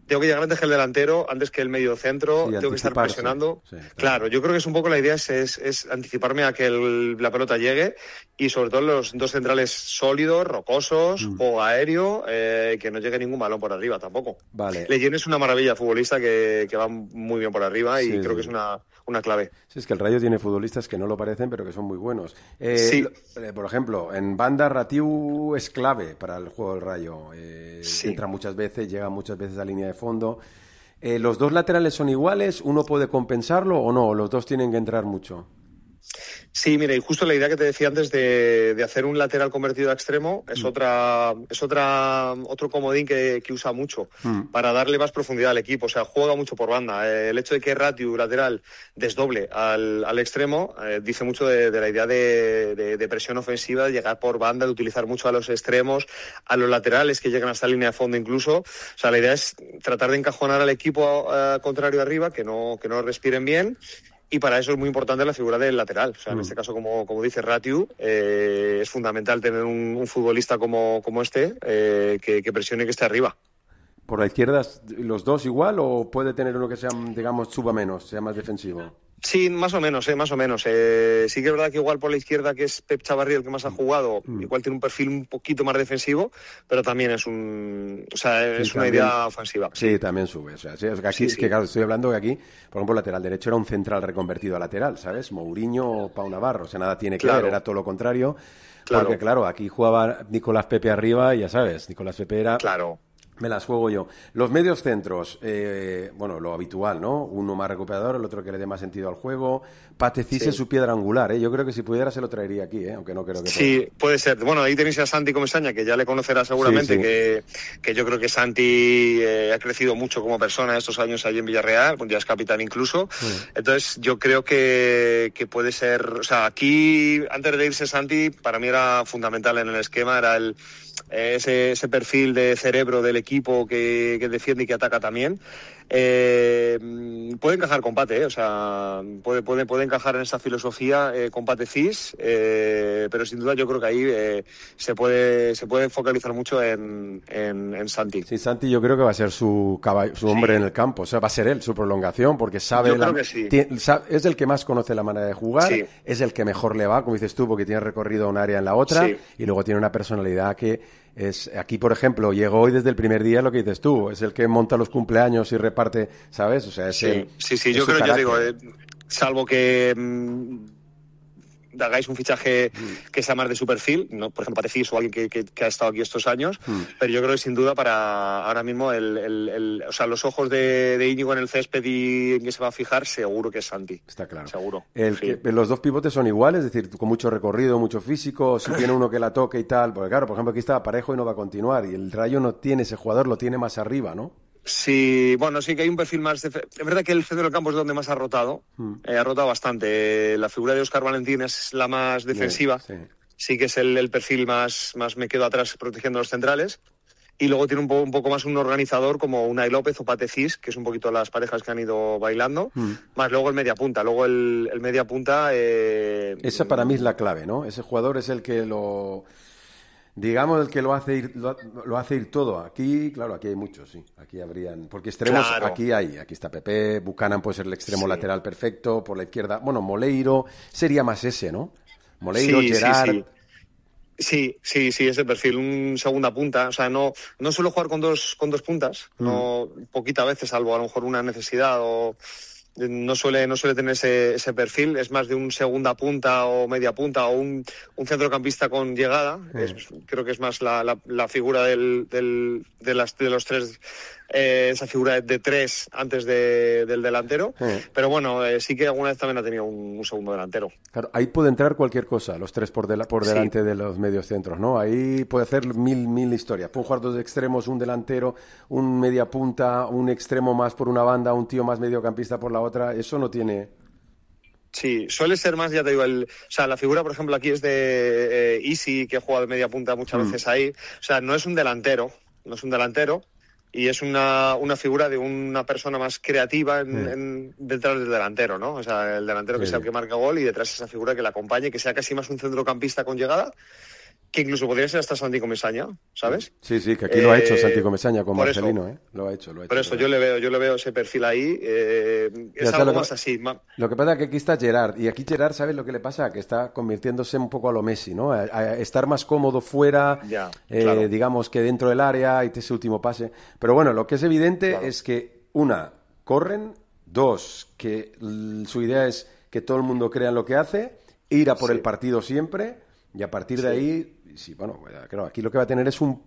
tengo que llegar antes que el delantero, antes que el medio centro, sí, tengo que estar presionando. Sí, claro. claro, yo creo que es un poco la idea, es, es, es anticiparme a que el, la pelota llegue y sobre todo los dos centrales sólidos, rocosos, mm. juego aéreo, eh, que no llegue ningún balón por arriba tampoco. Vale. Leyen es una maravilla futbolista que, que va muy bien por arriba y sí, creo sí. que es una, una clave. Sí, es que el Rayo tiene futbolistas que no lo parecen, pero que son muy buenos. Eh, sí. lo, por ejemplo, en banda Ratiu es clave para el juego del Rayo. Eh, sí. Entra muchas veces, llega muchas veces a línea de fondo. Eh, ¿Los dos laterales son iguales? ¿Uno puede compensarlo o no? ¿Los dos tienen que entrar mucho? Sí, mira, y justo la idea que te decía antes de, de hacer un lateral convertido a extremo es mm. otra es otra otro comodín que, que usa mucho mm. para darle más profundidad al equipo. O sea, juega mucho por banda. Eh, el hecho de que Ratiu, lateral, desdoble al, al extremo, eh, dice mucho de, de la idea de, de, de presión ofensiva, de llegar por banda, de utilizar mucho a los extremos, a los laterales que llegan hasta la línea de fondo incluso. O sea, la idea es tratar de encajonar al equipo uh, contrario arriba, que no, que no respiren bien. Y para eso es muy importante la figura del lateral. O sea, en mm. este caso, como, como dice Ratiu, eh, es fundamental tener un, un futbolista como, como este eh, que, que presione que esté arriba. ¿Por la izquierda los dos igual o puede tener uno que sea, digamos, suba menos, sea más defensivo? Sí, más o menos, eh, más o menos. Eh, sí que es verdad que igual por la izquierda, que es Pep Chavarri el que más ha jugado, mm. igual tiene un perfil un poquito más defensivo, pero también es un, o sea, es sí, una también, idea ofensiva. Sí, sí, también sube. O sea, sí, es que aquí, sí, es que claro, estoy hablando que aquí, por ejemplo, lateral derecho era un central reconvertido a lateral, ¿sabes? Mourinho o Pau Navarro, o sea, nada tiene que claro. ver, era todo lo contrario. Claro. Porque claro, aquí jugaba Nicolás Pepe arriba y ya sabes, Nicolás Pepe era... Claro. Me las juego yo. Los medios centros, eh, bueno, lo habitual, ¿no? Uno más recuperador, el otro que le dé más sentido al juego. Pate Cis sí. es su piedra angular, ¿eh? Yo creo que si pudiera se lo traería aquí, ¿eh? Aunque no creo que Sí, pueda. puede ser. Bueno, ahí tenéis a Santi Comesaña, que ya le conocerá seguramente, sí, sí. Que, que yo creo que Santi eh, ha crecido mucho como persona estos años allí en Villarreal, ya es capitán incluso. Sí. Entonces, yo creo que, que puede ser... O sea, aquí, antes de irse Santi, para mí era fundamental en el esquema, era el... Ese, ese perfil de cerebro del equipo que, que defiende y que ataca también. Eh, puede encajar con Pate, ¿eh? O sea, puede, puede, puede encajar en esa filosofía eh, con Pate Cis, eh, pero sin duda yo creo que ahí eh, se puede se puede focalizar mucho en, en, en Santi. Sí, Santi yo creo que va a ser su caballo, su hombre sí. en el campo, o sea, va a ser él, su prolongación, porque sabe, yo la, creo que sí. tiene, sabe, es el que más conoce la manera de jugar, sí. es el que mejor le va, como dices tú, porque tiene recorrido a un área en la otra, sí. y luego tiene una personalidad que es, aquí por ejemplo, llegó hoy desde el primer día, lo que dices tú, es el que monta los cumpleaños y reparte, ¿sabes? O sea, es sí, el, sí, sí, es yo creo, carácter. yo digo, eh, salvo que mmm, hagáis un fichaje mm. que sea más de su perfil, ¿no? Por ejemplo, Pate Cis o alguien que, que, que ha estado aquí estos años, mm. pero yo creo que sin duda para ahora mismo el, el, el o sea, los ojos de, de Íñigo en el césped y en que se va a fijar, seguro que es Santi. Está claro. Seguro. El sí. que, los dos pivotes son iguales, es decir, con mucho recorrido, mucho físico, si tiene uno que la toque y tal, porque claro, por ejemplo, aquí está Parejo y no va a continuar, y el Rayo no tiene ese jugador, lo tiene más arriba, ¿no? Sí, bueno, sí que hay un perfil más... De... Es verdad que el centro del campo es donde más ha rotado, mm. eh, ha rotado bastante. Eh, la figura de Óscar Valentín es la más defensiva, sí, sí. sí que es el, el perfil más, más me quedo atrás protegiendo a los centrales. Y luego tiene un, po- un poco más un organizador como Unai López o Pate Cis, que es un poquito las parejas que han ido bailando, mm. más luego el media punta. Luego el, el media punta... Eh... Esa para mí es la clave, ¿no? Ese jugador es el que lo... Digamos el que lo hace ir lo, lo hace ir todo. Aquí, claro, aquí hay muchos, sí. Aquí habrían, porque extremos claro. aquí hay, aquí está Pepe, Buchanan puede ser el extremo sí. lateral perfecto, por la izquierda, bueno, Moleiro sería más ese, ¿no? Moleiro, sí, Gerard. Sí, sí. sí, sí, sí, ese perfil, un segunda punta, o sea, no no suelo jugar con dos con dos puntas, mm. no poquitas veces, salvo a lo mejor una necesidad o no suele no suele tener ese, ese perfil, es más de un segunda punta o media punta o un, un centrocampista con llegada, mm. es, creo que es más la, la, la figura del, del, de, las, de los tres, eh, esa figura de tres antes de, del delantero, mm. pero bueno, eh, sí que alguna vez también ha tenido un, un segundo delantero. Claro, ahí puede entrar cualquier cosa, los tres por, de la, por delante sí. de los medios centros, ¿no? Ahí puede hacer mil, mil historias, pueden jugar dos extremos, un delantero, un media punta, un extremo más por una banda, un tío más mediocampista por la otra. Otra, eso no tiene... Sí, suele ser más, ya te digo, el, o sea, la figura, por ejemplo, aquí es de eh, Isi, que ha jugado de media punta muchas mm. veces ahí. O sea, no es un delantero, no es un delantero, y es una, una figura de una persona más creativa en, mm. en, detrás del delantero, ¿no? O sea, el delantero que sí. sea el que marca gol y detrás esa figura que la acompañe, que sea casi más un centrocampista con llegada, que incluso podría ser hasta Santi Comesaña, ¿sabes? Sí, sí, que aquí eh, lo ha hecho Santi Comesaña con Marcelino, eso, ¿eh? Lo ha hecho, lo ha hecho. Por eso yo le veo, yo le veo ese perfil ahí, eh, es algo más así. Lo que pasa es que aquí está Gerard, y aquí Gerard, ¿sabes lo que le pasa? Que está convirtiéndose un poco a lo Messi, ¿no? A, a estar más cómodo fuera, ya, eh, claro. digamos que dentro del área, y ese último pase. Pero bueno, lo que es evidente claro. es que, una, corren, dos, que l- su idea es que todo el mundo crea en lo que hace, ir a por sí. el partido siempre, y a partir sí. de ahí... Sí, bueno, claro, aquí lo que va a tener es un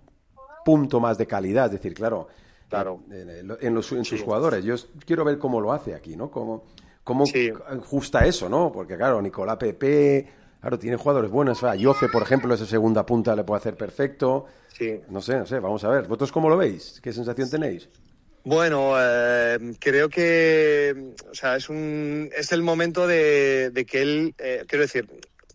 punto más de calidad, es decir, claro, claro. en, en, los, en sus sí. jugadores. Yo quiero ver cómo lo hace aquí, ¿no? Cómo, cómo sí. ajusta eso, ¿no? Porque, claro, Nicolás Pepe, claro, tiene jugadores buenos. A Yoce, por ejemplo, esa segunda punta le puede hacer perfecto. Sí. No sé, no sé, vamos a ver. ¿Vosotros cómo lo veis? ¿Qué sensación tenéis? Bueno, eh, creo que, o sea, es un es el momento de, de que él, eh, quiero decir...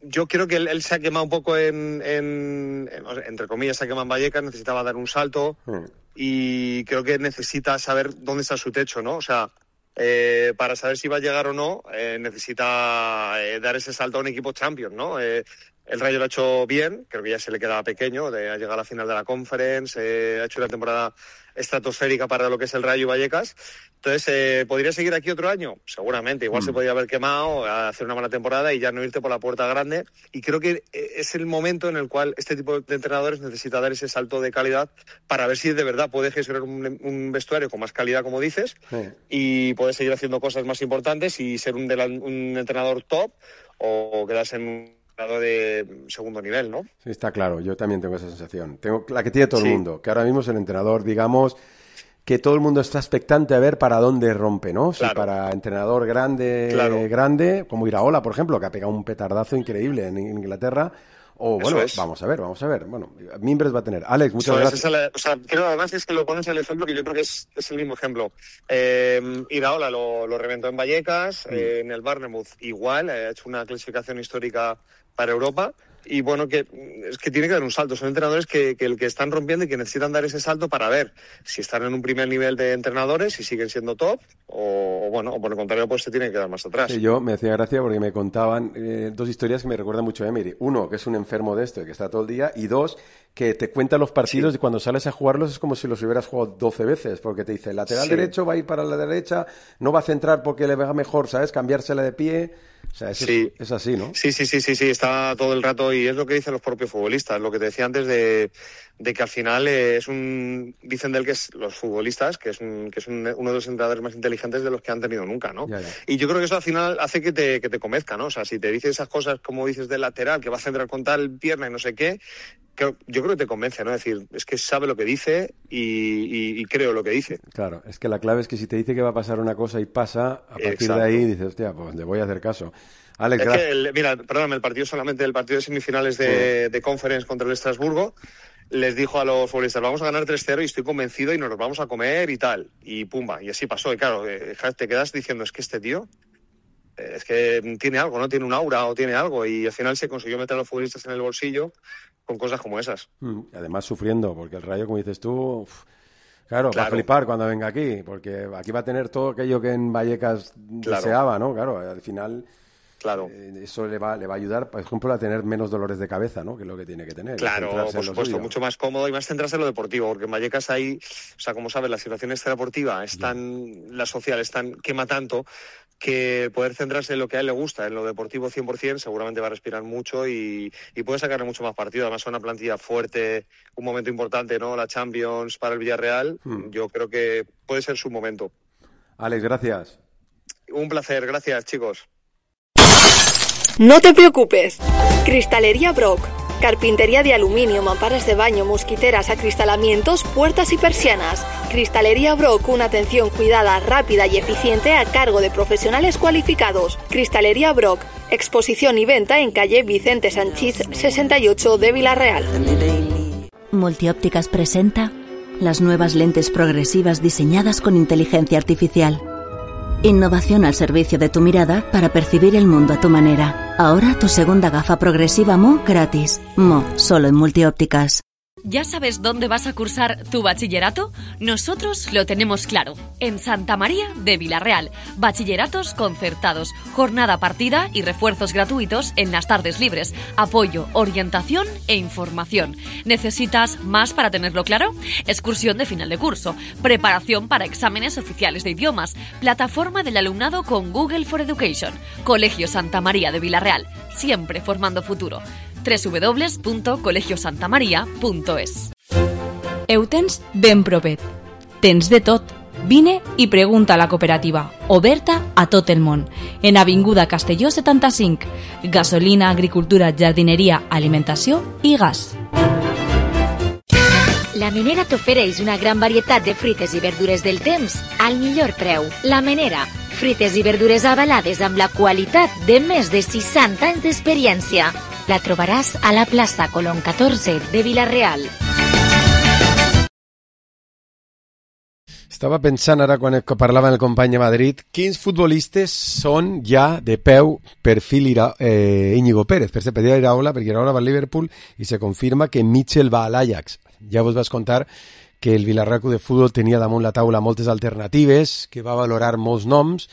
Yo creo que él, él se ha quemado un poco en, en, en, entre comillas, se ha quemado en Vallecas, necesitaba dar un salto mm. y creo que necesita saber dónde está su techo, ¿no? O sea, eh, para saber si va a llegar o no, eh, necesita eh, dar ese salto a un equipo Champions, ¿no? Eh, el Rayo lo ha hecho bien, creo que ya se le quedaba pequeño, de, ha llegado a la final de la Conference, eh, ha hecho una temporada estratosférica para lo que es el Rayo y Vallecas. Entonces, eh, ¿podría seguir aquí otro año? Seguramente, igual mm. se podría haber quemado, hacer una buena temporada y ya no irte por la puerta grande. Y creo que es el momento en el cual este tipo de entrenadores necesita dar ese salto de calidad para ver si de verdad puede gestionar un, un vestuario con más calidad, como dices, sí. y poder seguir haciendo cosas más importantes y ser un, un entrenador top o quedarse en grado de segundo nivel, ¿no? Sí, está claro, yo también tengo esa sensación. Tengo la que tiene todo sí. el mundo, que ahora mismo es el entrenador, digamos, que todo el mundo está expectante a ver para dónde rompe, ¿no? Claro. Si para entrenador grande, claro. grande, como Iraola, por ejemplo, que ha pegado un petardazo increíble en Inglaterra. O bueno, es. vamos a ver, vamos a ver. Bueno, Mimbres va a tener. Alex, muchas Eso gracias. Es la, o sea, creo además es que lo pones el ejemplo que yo creo que es, es el mismo ejemplo. Eh, Iraola lo, lo reventó en Vallecas, mm. eh, en el Bournemouth igual, eh, ha hecho una clasificación histórica para Europa. Y bueno, que es que tiene que dar un salto. Son entrenadores que, que el que están rompiendo y que necesitan dar ese salto para ver si están en un primer nivel de entrenadores, si siguen siendo top, o, o bueno, o por el contrario, pues se tienen que dar más atrás. Sí, yo me hacía gracia porque me contaban eh, dos historias que me recuerdan mucho a Emery. Uno, que es un enfermo de esto y que está todo el día, y dos, que te cuenta los partidos sí. y cuando sales a jugarlos es como si los hubieras jugado doce veces, porque te dice, el lateral sí. derecho va a ir para la derecha, no va a centrar porque le va mejor, ¿sabes? Cambiársela de pie. O sea, eso sí. es, es así, ¿no? Sí, sí, sí, sí, sí, está todo el rato y es lo que dicen los propios futbolistas, lo que te decía antes de, de que al final eh, es un, dicen de él que es los futbolistas, que es, un, que es un, uno de los entrenadores más inteligentes de los que han tenido nunca, ¿no? Ya, ya. Y yo creo que eso al final hace que te, que te convenzca, ¿no? O sea, si te dice esas cosas como dices del lateral, que va a centrar con tal pierna y no sé qué, que yo creo que te convence, ¿no? Es decir, es que sabe lo que dice y, y, y creo lo que dice. Claro, es que la clave es que si te dice que va a pasar una cosa y pasa, a partir Exacto. de ahí dices, hostia, pues le voy a hacer caso. Alex, es que el, mira, perdóname, el partido solamente, el partido de semifinales de, sí. de Conference contra el Estrasburgo, les dijo a los futbolistas, vamos a ganar tres cero y estoy convencido y nos los vamos a comer y tal. Y pumba, y así pasó. Y claro, te quedas diciendo, es que este tío, es que tiene algo, ¿no? Tiene un aura o tiene algo. Y al final se consiguió meter a los futbolistas en el bolsillo con cosas como esas. Mm, además sufriendo, porque el Rayo, como dices tú... Uf, claro, claro, va a flipar cuando venga aquí, porque aquí va a tener todo aquello que en Vallecas claro. deseaba, ¿no? Claro, al final... Claro. Eh, eso le va, le va a ayudar, por ejemplo, a tener menos dolores de cabeza, ¿no? Que es lo que tiene que tener. Claro, por supuesto, mucho más cómodo y más centrarse en lo deportivo, porque en Vallecas hay, o sea, como sabes, la situación extradeportiva es tan, yeah. la social es tan, quema tanto, que poder centrarse en lo que a él le gusta, en lo deportivo cien por ciento, seguramente va a respirar mucho y, y puede sacarle mucho más partido. Además, es una plantilla fuerte, un momento importante, ¿no? La Champions para el Villarreal, hmm. yo creo que puede ser su momento. Alex, gracias. Un placer, gracias, chicos. No te preocupes. Cristalería Brock. Carpintería de aluminio, mamparas de baño, mosquiteras, acristalamientos, puertas y persianas. Cristalería Brock, una atención cuidada, rápida y eficiente a cargo de profesionales cualificados. Cristalería Brock. Exposición y venta en calle Vicente Sanchís sesenta y ocho de Villarreal. Multiópticas presenta las nuevas lentes progresivas diseñadas con inteligencia artificial. Innovación al servicio de tu mirada para percibir el mundo a tu manera. Ahora tu segunda gafa progresiva Mo gratis. Mo, solo en Multiópticas. ¿Ya sabes dónde vas a cursar tu bachillerato? Nosotros lo tenemos claro. En Santa María de Villarreal. Bachilleratos concertados, jornada partida y refuerzos gratuitos en las tardes libres. Apoyo, orientación e información. ¿Necesitas más para tenerlo claro? Excursión de final de curso. Preparación para exámenes oficiales de idiomas. Plataforma del alumnado con Google for Education. Colegio Santa María de Villarreal. Siempre formando futuro. doble u doble u doble u punto colegio santa maria punto es. Ho tens ben propet. Tens de tot. Vine i pregunta a la cooperativa, oberta a tot el món. En Avinguda Castelló setanta-cinc. Gasolina, agricultura, jardineria, alimentació i gas. La Menera t'ofereix una gran varietat de fruites i verdures del temps al millor preu. La Menera, fruites i verdures avalades amb la qualitat de més de seixanta anys d'experiència. La trobaràs a la plaça Colón catorze de Villarreal. Estava pensant ara quan parlava el company de Madrid, quins futbolistes són ja de peu perfil Ira, eh, Íñigo Pérez. Per exemple, pedia Iraola, perquè Iraola va al Liverpool i se confirma que Mitchell va a l'Ajax. Ja vos vas contar que el Villarreal Club de Futbol tenia damunt la taula moltes alternatives, que va valorar molts noms,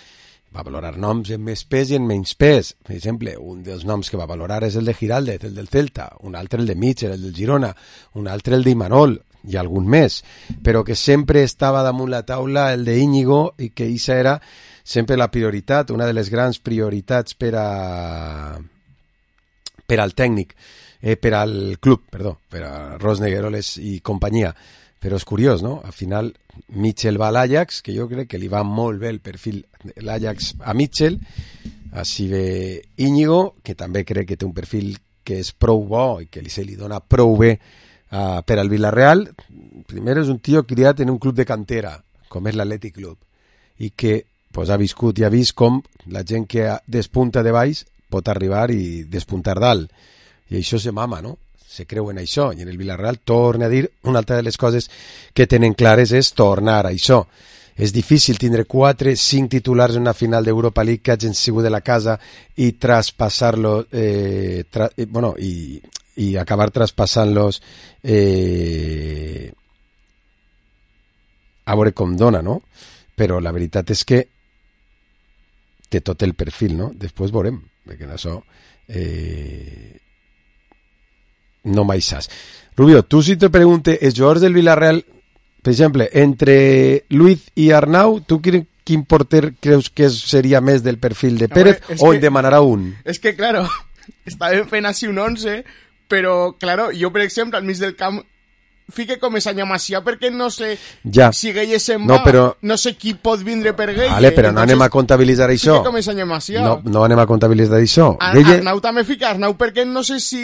va valorar noms en més pes i en menys pes. Per exemple, un dels noms que va valorar és el de Giraldez, el del Celta, un altre el de Mitchell, el del Girona, un altre el d'Imanol i algun més, però que sempre estava damunt la taula el de Íñigo i que això era sempre la prioritat, una de les grans prioritats per a per al tècnic, eh, per al club, perdó, per a Ros Negueroles i companyia. Però és curiós, no? Al final, Mitchell va a l'Ajax, que jo crec que li va molt bé el perfil de l'Ajax a Mitchell. Així ve Íñigo, que també crec que té un perfil que és prou bo i que li se li dona prou bé uh, per al Villarreal. Primer és un tio criat en un club de cantera, com és l'Atlètic Club, i que pues, ha viscut i ha vist com la gent que despunta de baix pot arribar i despuntar dalt. I això se mama, no? Se creu en això. I en el Villarreal torna a dir, una altra de les coses que tenen clares és tornar a això. És difícil tindre quatre, cinc titulars en una final d'Europa League que hagin sigut de la casa i traspassar-lo, eh, tra eh, bueno, i, i acabar traspassant-los eh, a veure com dona, no? Però la veritat és que té tot el perfil, no? Després veurem, perquè en això eh, no mai saps. Rubio, tu si te pregunte, els jugadors del Villarreal, per exemple, entre Luiz i Arnau, tu quin porter creus que seria més del perfil de Pérez Hombre, o que, en demanarà un? És que, claro, estàvem fent així un onze, però, claro, jo, per exemple, al mig del camp fique com és Anya Macià perquè no sé ja. si Gueye se'n no, va, però... no sé qui pot vindre per Gueye. Vale, però no anem a comptabilitzar això. Fique com és Anya Macià. No, no anem a comptabilitzar això. Ar Gueye... Arnau també fica Arnau perquè no sé si...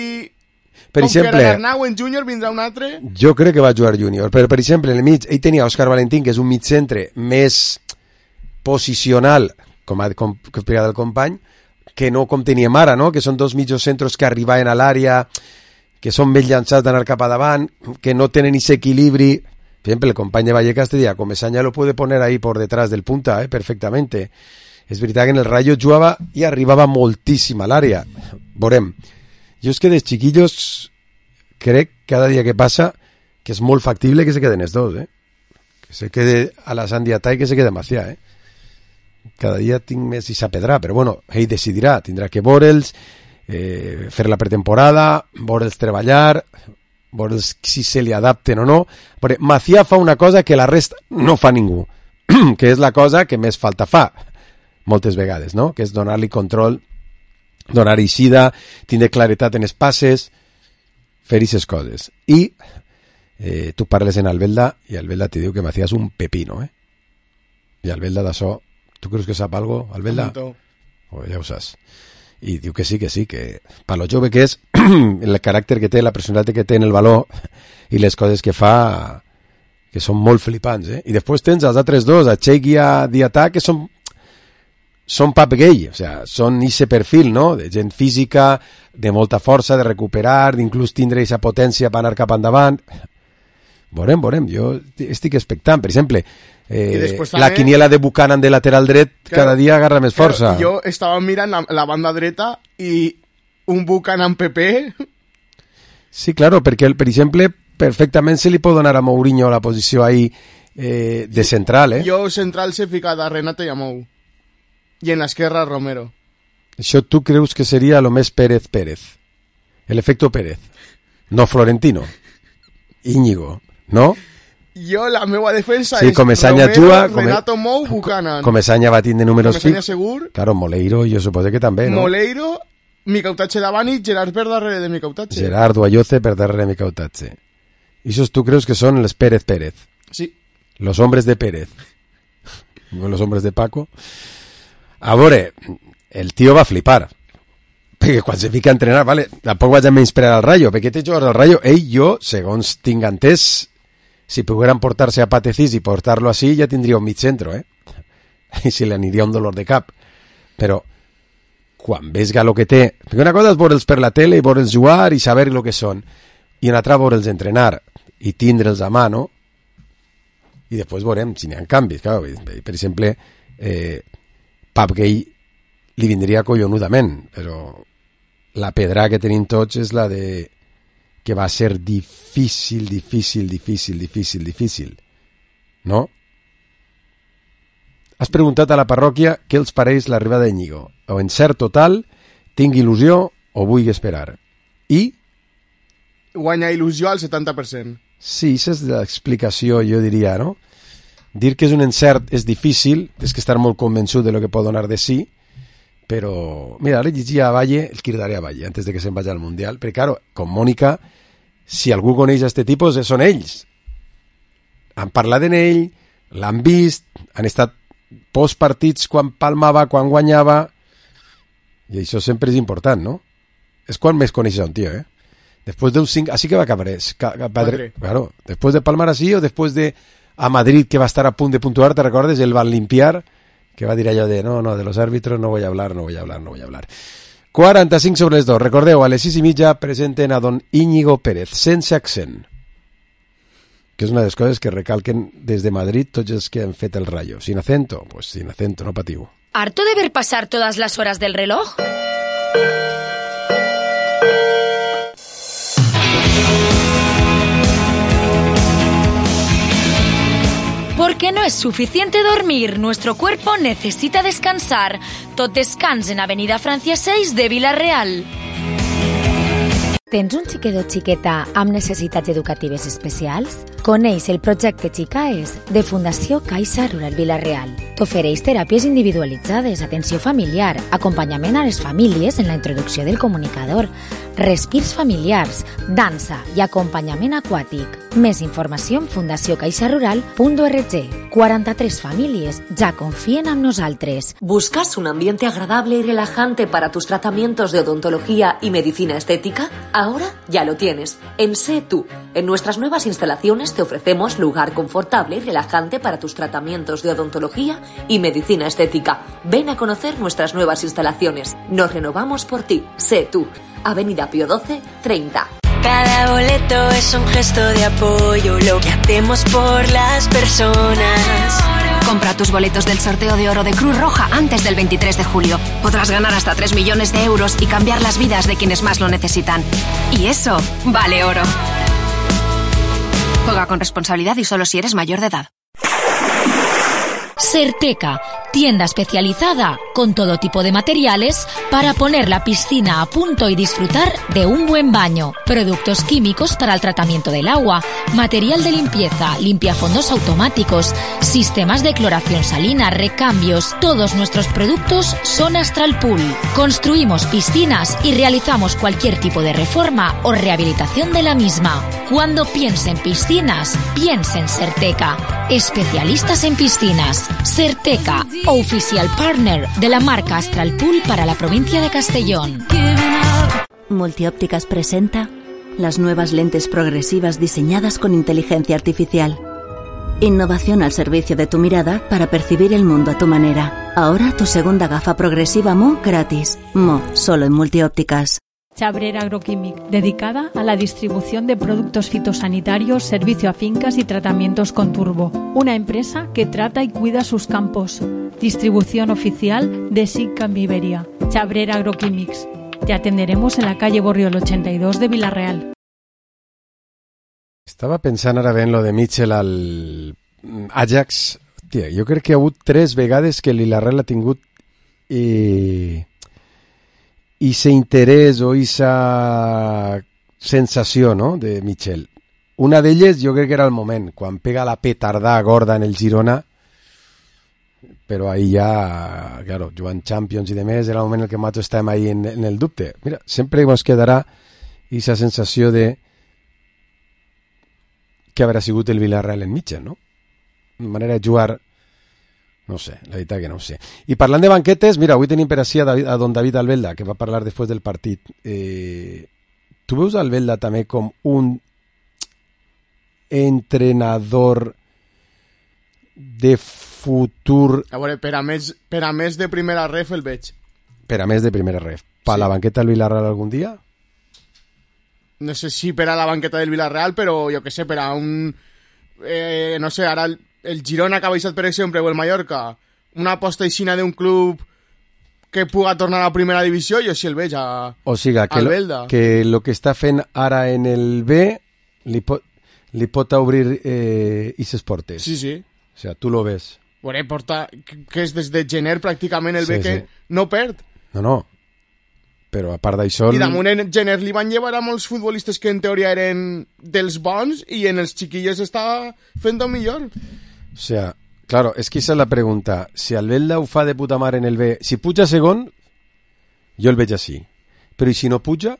Per com exemple, que era Arnau en júnior vindrà un altre. Jo crec que va jugar júnior, però per exemple en el mig ell tenia Òscar Valentín, que és un mig centre més posicional, com ha com, com explicat el company, que no com teníem ara, no? Que són dos mitjos centros que arribaven a l'àrea, que són més llançats d'anar cap a davant, que no tenen ese equilibri. Per exemple, el company de Vallecas te diria, Comesaña lo puede poner ahí por detrás del punta, eh, perfectamente. És veritat que en el Rayo jugava i arribava moltíssim a l'àrea. Veurem. Jo és que de chiquillos crec cada dia que passa que és molt factible que se queden els dos, eh? Que se quede a la Sandiata i que se quede Macià, eh? Cada dia tinc més i sapedrà, però bueno, ell decidirà, tindrà que veure'ls, eh, fer la pretemporada, veure'ls treballar, veure'ls si se li adapten o no, perquè Macià fa una cosa que la resta no fa ningú, que és la cosa que més falta fa, moltes vegades, no? Que és donar-li control, donar eixida, tindre claretat en els passes, fer aquestes coses. I eh, tu parles en Albelda i Albelda te diu que Macías és un pepino, eh? I Albelda d'això, tu creus que sap algo, Albelda? Oh, ja ho saps. I diu que sí, que sí, que per lo jove que és, el caràcter que té, la personalitat que té en el valor i les coses que fa, que són molt flipants, eh? I després tens els altres dos, a Cheikh i a Diatà, que són són pap gay, o sea, són ese perfil, no? De gent física, de molta força, de recuperar, d'inclús tindre aquesta potència per anar cap endavant. Veurem, veurem, jo estic expectant. Per exemple, eh, també, la quiniela de Buchanan de lateral dret claro, cada dia agarra més força. Claro, jo estava mirant la, la banda dreta i un Buchanan P P... Sí, claro, perquè, per exemple, perfectament se li pot donar a Mourinho la posició ahí eh, de central, eh? Jo central s'he ficat a Renato i a Mou. I en l'esquerra Romero. Això tu creus que seria lo més Pérez Pérez? El efecto Pérez. No Florentino. Íñigo, no? Jo la meva defensa sí, és Comesaña Romero, juga, Renato come, Mou, Buchanan. Comesaña va tindre números fixos. Comesaña segur. Claro, Moleiro jo suposo que també, no? Moleiro, Micautatge davant i Gerard per darrere de Micautatge. Gerard Guayoce per darrere de Micautatge. I esos tu creus que són els Pérez Pérez? Sí. Los hombres de Pérez. Los hombres de Paco. A veure, el tio va flipar perquè quan se fica a entrenar, vale, tampoc vaig a menysprear al Rayo, perquè té jugadors al Rayo, ell, jo, segons tinc entès, si pogueren portar-se a Patecís i portar-lo així, ja tindria un mig centro, eh? I si li aniria un dolor de cap. Però, quan ves el que té... Perquè una cosa és veure'ls per la tele i veure'ls jugar i saber el que són, i una altra veure'ls entrenar i tindre'ls a mà, no? I després veurem si n'hi ha canvis, clar, per exemple... Eh, Pap Gay li vindria collonudament, però la pedra que tenim tots és la de que va ser difícil, difícil, difícil, difícil, difícil, no? Has preguntat a la parròquia què els pareix l'arribada d'Íñigo. O encert total, tinc il·lusió o vull esperar. I? Guanya il·lusió al setanta per cent. Sí, aquesta és l'explicació, jo diria, no? Dir que és un encert és difícil, és que estar molt convençut de lo que pot donar de sí, però, mira, ara llegia a Valle, el cridaré a Valle, antes de que se'n vagi al Mundial, perquè, claro, com Mònica, si algú coneix a este tipus, són ells. Han parlat en ell, l'han vist, han estat postpartits quan palmava, quan guanyava, I això sempre és important, no? És quan més coneixes un tio, eh? Después de un cinc, así que va a acabar, padre, claro, después de palmar así o después de a Madrid que va a estar a punto de puntuar, ¿te recuerdas? El van limpiar, que va a dir allò de no, no, de los árbitros no voy a hablar, no voy a hablar, no voy a hablar. quaranta-cinc sobre les dos. Recordeu, a les sis i mitja presenten a don Íñigo Pérez, sense accent, que és una de les coses que recalquen des de Madrid tots els que han fet el Rayo. Sin acento, pues sin acento, no patiu. ¿Harto de ver pasar todas las horas del reloj? Porque no es suficiente dormir, nuestro cuerpo necesita descansar. Tot descans en Avenida Francia seis de Vila-real. Tens un xiquet o xiqueta amb necessitats educatives especials? Coneix el projecte Xicaes de Fundació Caixa Rural Vila-real. T'ofereix teràpies individualitzades, atenció familiar, acompanyament a les famílies en la introducció del comunicador, respirs familiars, dansa i acompanyament aquàtic. Més informació en fundació caixa rural punt org. quaranta-tres famílies ja confien en nosaltres. ¿Buscas un ambiente agradable y relajante para tus tratamientos de odontología y medicina estética? Ahora ya lo tienes. En Sé Tú. En nuestras nuevas instalaciones te ofrecemos lugar confortable y relajante para tus tratamientos de odontología y medicina estética. Ven a conocer nuestras nuevas instalaciones. Nos renovamos por ti. Sé Tú. Avenida Pío doce, treinta. Cada boleto es un gesto de apoyo, lo que hacemos por las personas. Compra tus boletos del sorteo de oro de Cruz Roja antes del veintitrés de julio. Podrás ganar hasta tres millones de euros y cambiar las vidas de quienes más lo necesitan. Y eso vale oro. Juega con responsabilidad y solo si eres mayor de edad. Certeca, tienda especializada con todo tipo de materiales para poner la piscina a punto y disfrutar de un buen baño. Productos químicos para el tratamiento del agua, material de limpieza, limpiafondos automáticos, sistemas de cloración salina, recambios. Todos nuestros productos son Astral Pool. Construimos piscinas y realizamos cualquier tipo de reforma o rehabilitación de la misma. Cuando piense en piscinas, piense en Certeca. Especialistas en piscinas. Certeca, oficial partner de la marca Astral Pool para la provincia de Castellón. Multiópticas presenta las nuevas lentes progresivas diseñadas con inteligencia artificial. Innovación al servicio de tu mirada para percibir el mundo a tu manera. Ahora tu segunda gafa progresiva Mo gratis. Mo, solo en Multiópticas. Chabrera Agroquímic, dedicada a la distribución de productos fitosanitarios, servicio a fincas y tratamientos con turbo. Una empresa que trata y cuida sus campos. Distribución oficial de SICAM Iberia. Chabrera Agroquímics. Te atenderemos en la calle Borriol ochenta y dos de Vila-real. Estava pensant ara ben lo de Mitchell al Ajax. Tia, jo crec que ha hagut tres vegades que l'Vila-real ha tingut i... i ese interès o esa sensació, no?, de Mitchell. Una d'elles jo crec que era el moment, quan pega la petardà gorda en el Girona, però ahí ja, claro, jugant Champions i demés, era el moment en què nosaltres estàvem ahí en, en el dubte. Mira, sempre ens quedarà esa sensació de que haurà sigut el Villarreal en Mitchell, no? Una manera de jugar... No sé, la veritat que no ho sé. I parlant de banquetes, mira, avui tenim per així a, David, a don David Albelda, que va parlar després del partit. Eh, tu veus Albelda també com un entrenador de futur... A veure, per a més, per a més de primera ref el veig. Per a més de primera ref. Per sí. La banqueta del Villarreal algun dia? No sé si per a la banqueta del Villarreal, però jo que sé, per a un... Eh, no sé, ara... El... el Girona que ha baixat, per exemple, o el Mallorca, una aposta aixina d'un club que puga tornar a la primera divisió, jo sí el veig a, o sigui, que al lo, Belda. Que el que està fent ara en el B li pot, li pot obrir eh, ises portes. Sí, sí. O sigui, tu lo ves. Bueno, porta, que és des de gener pràcticament el sí, B que sí. no perd. No, no. Però a part d'això... I damunt en gener li van llevar a molts futbolistes que en teoria eren dels bons i en els xiquillos està fent el millor. O sea, claro, es que esa es la pregunta. Si Albelda ho fa de puta mare en el B, si puja segon, jo el veig així. Però i si no puja?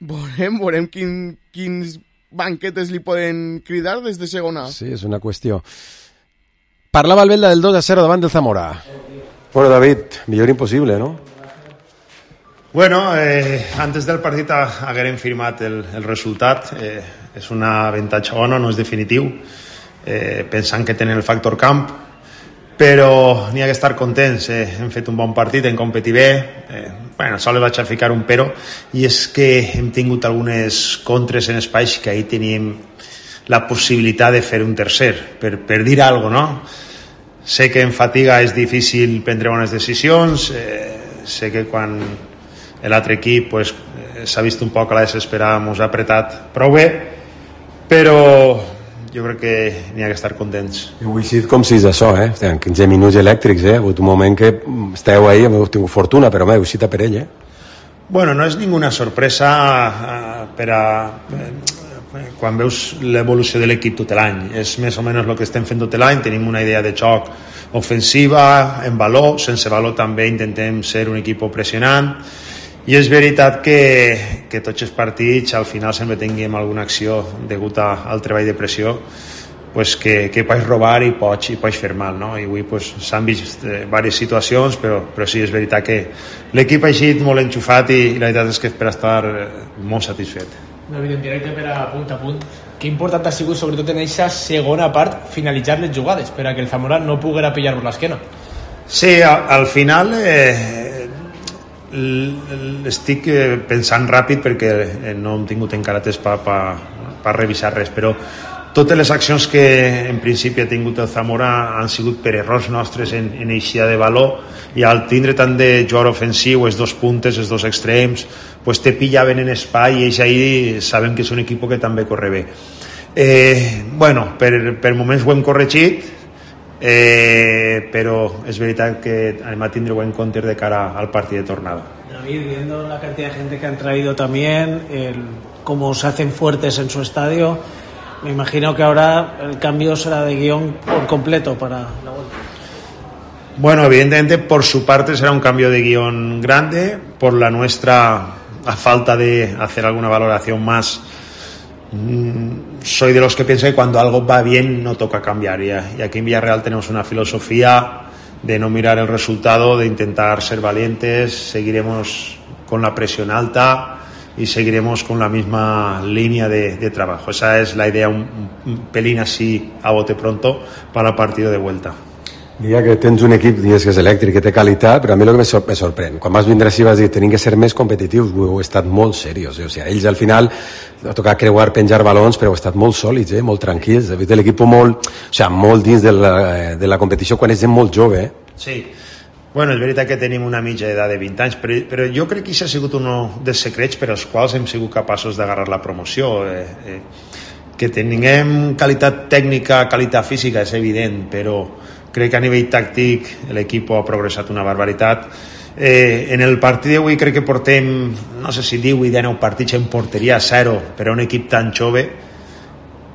Veurem, veurem quin, quins banquetes li poden cridar des de segona. Sí, és una qüestió. Parlava Albelda del dos a zero davant del Zamora. Bueno, David, millor impossible, no? Bueno, eh, antes del partit haguérem firmat el, el resultat. Eh, és un avantatge bona, no és definitiu, eh, pensant que tenen el factor camp, però n'hi ha que estar contents. Eh, hem fet un bon partit, hem competit bé. Eh, bueno, sols vaig a ficar un però, i és que hem tingut algunes contres en espais que ahir teníem la possibilitat de fer un tercer, per, per dir alguna cosa, no? Sé que en fatiga és difícil prendre bones decisions, eh, sé que quan l'altre equip pues, eh, s'ha vist un poc a la desesperada, ens ha apretat prou bé, però jo crec que n'hi ha que estar contents. Heu eixit com si és això, eh? En quinze minuts elèctrics, eh? Ha hagut un moment que esteu ahí, heu tingut fortuna, però heu eixit a per ell, eh? Bueno, no és ninguna sorpresa eh, per a... Eh, quan veus l'evolució de l'equip tot l'any, és més o menys el que estem fent tot l'any. Tenim una idea de joc ofensiva, en valor, sense valor també intentem ser un equip pressionant, i és veritat que, que tots els partits al final sempre tinguem alguna acció degut a, al treball de pressió, pues que, que pots robar i pots, i pots fer mal, no? I avui pues, s'han vist eh, diverses situacions, però, però sí, és veritat que l'equip ha eixit molt enxufat, i, i la veritat és que és per estar eh, molt satisfet. David, en directe per a punt a punt, que important ha sigut sobretot en aquesta segona part finalitzar les jugades per a que el Zamora no poguera pillar-vos l'esquena? Sí, al, al final eh, estic pensant ràpid perquè no hem tingut encara temps per pa, pa revisar res, però totes les accions que en principi ha tingut el Zamora han sigut per errors nostres en, en eixida de valor, i al tindre tant de jugador ofensiu, els dos puntes, els dos extrems, pues te pillaven en espai, i ells ahí sabem que és un equip que també corre bé. Eh, bueno, per, per moments ho hem corregit, eh, però és veritat que anem a tindre-ho en compte de cara al partit de tornada. David, viendo la cantidad de gente que han traído también, el, cómo se hacen fuertes en su estadio, me imagino que ahora el cambio será de guión por completo para la vuelta. Bueno, evidentemente por su parte será un cambio de guión grande, por la nuestra, a falta de hacer alguna valoración más, mmm, soy de los que piensa que cuando algo va bien no toca cambiar, y, y aquí en Villarreal tenemos una filosofía de no mirar el resultado, de intentar ser valientes, seguiremos con la presión alta y seguiremos con la misma línea de, de trabajo. Esa es la idea, un, un pelín así a bote pronto para el partido de vuelta. Diria que tens un equip, dius que és elèctric, que té qualitat, però a mi el que me, sor me sorprèn, quan vas vindre així vas dir tenim que ser més competitius, heu estat molt serios, eh? O sigui, ells al final ha tocat creuar, penjar balons, però heu estat molt sòlids, eh? Molt tranquils, he vist l'equip molt, o sigui, molt dins de la, de la competició quan és gent molt jove. Eh? Sí, bueno, és veritat que tenim una mitja edat de vint anys, però, però jo crec que això ha sigut un dels secrets per als quals hem sigut capaços d'agarrar la promoció. Eh, eh, que tinguem qualitat tècnica, qualitat física, és evident, però crec que a nivell tàctic l'equip ha progressat una barbaritat. Eh, en el partit d'avui crec que portem, no sé si divuit o dinou partits en porteria a zero, per a un equip tan jove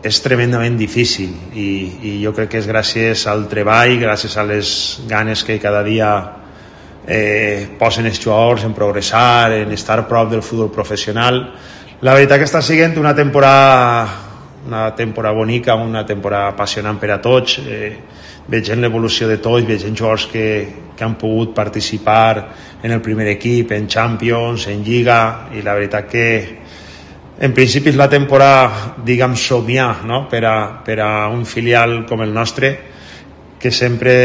és tremendament difícil, i, i jo crec que és gràcies al treball, gràcies a les ganes que cada dia eh, posen els jugadors en progressar, en estar a prop del futbol professional. La veritat que està sent una temporada una temporada bonica, una temporada apassionant per a tots. Eh, vegem l'evolució de tots, vegem jugadors que, que han pogut participar en el primer equip, en Champions, en Lliga, i la veritat que en principi és la temporada, diguem, somiar, no? per, a, per a un filial com el nostre, que sempre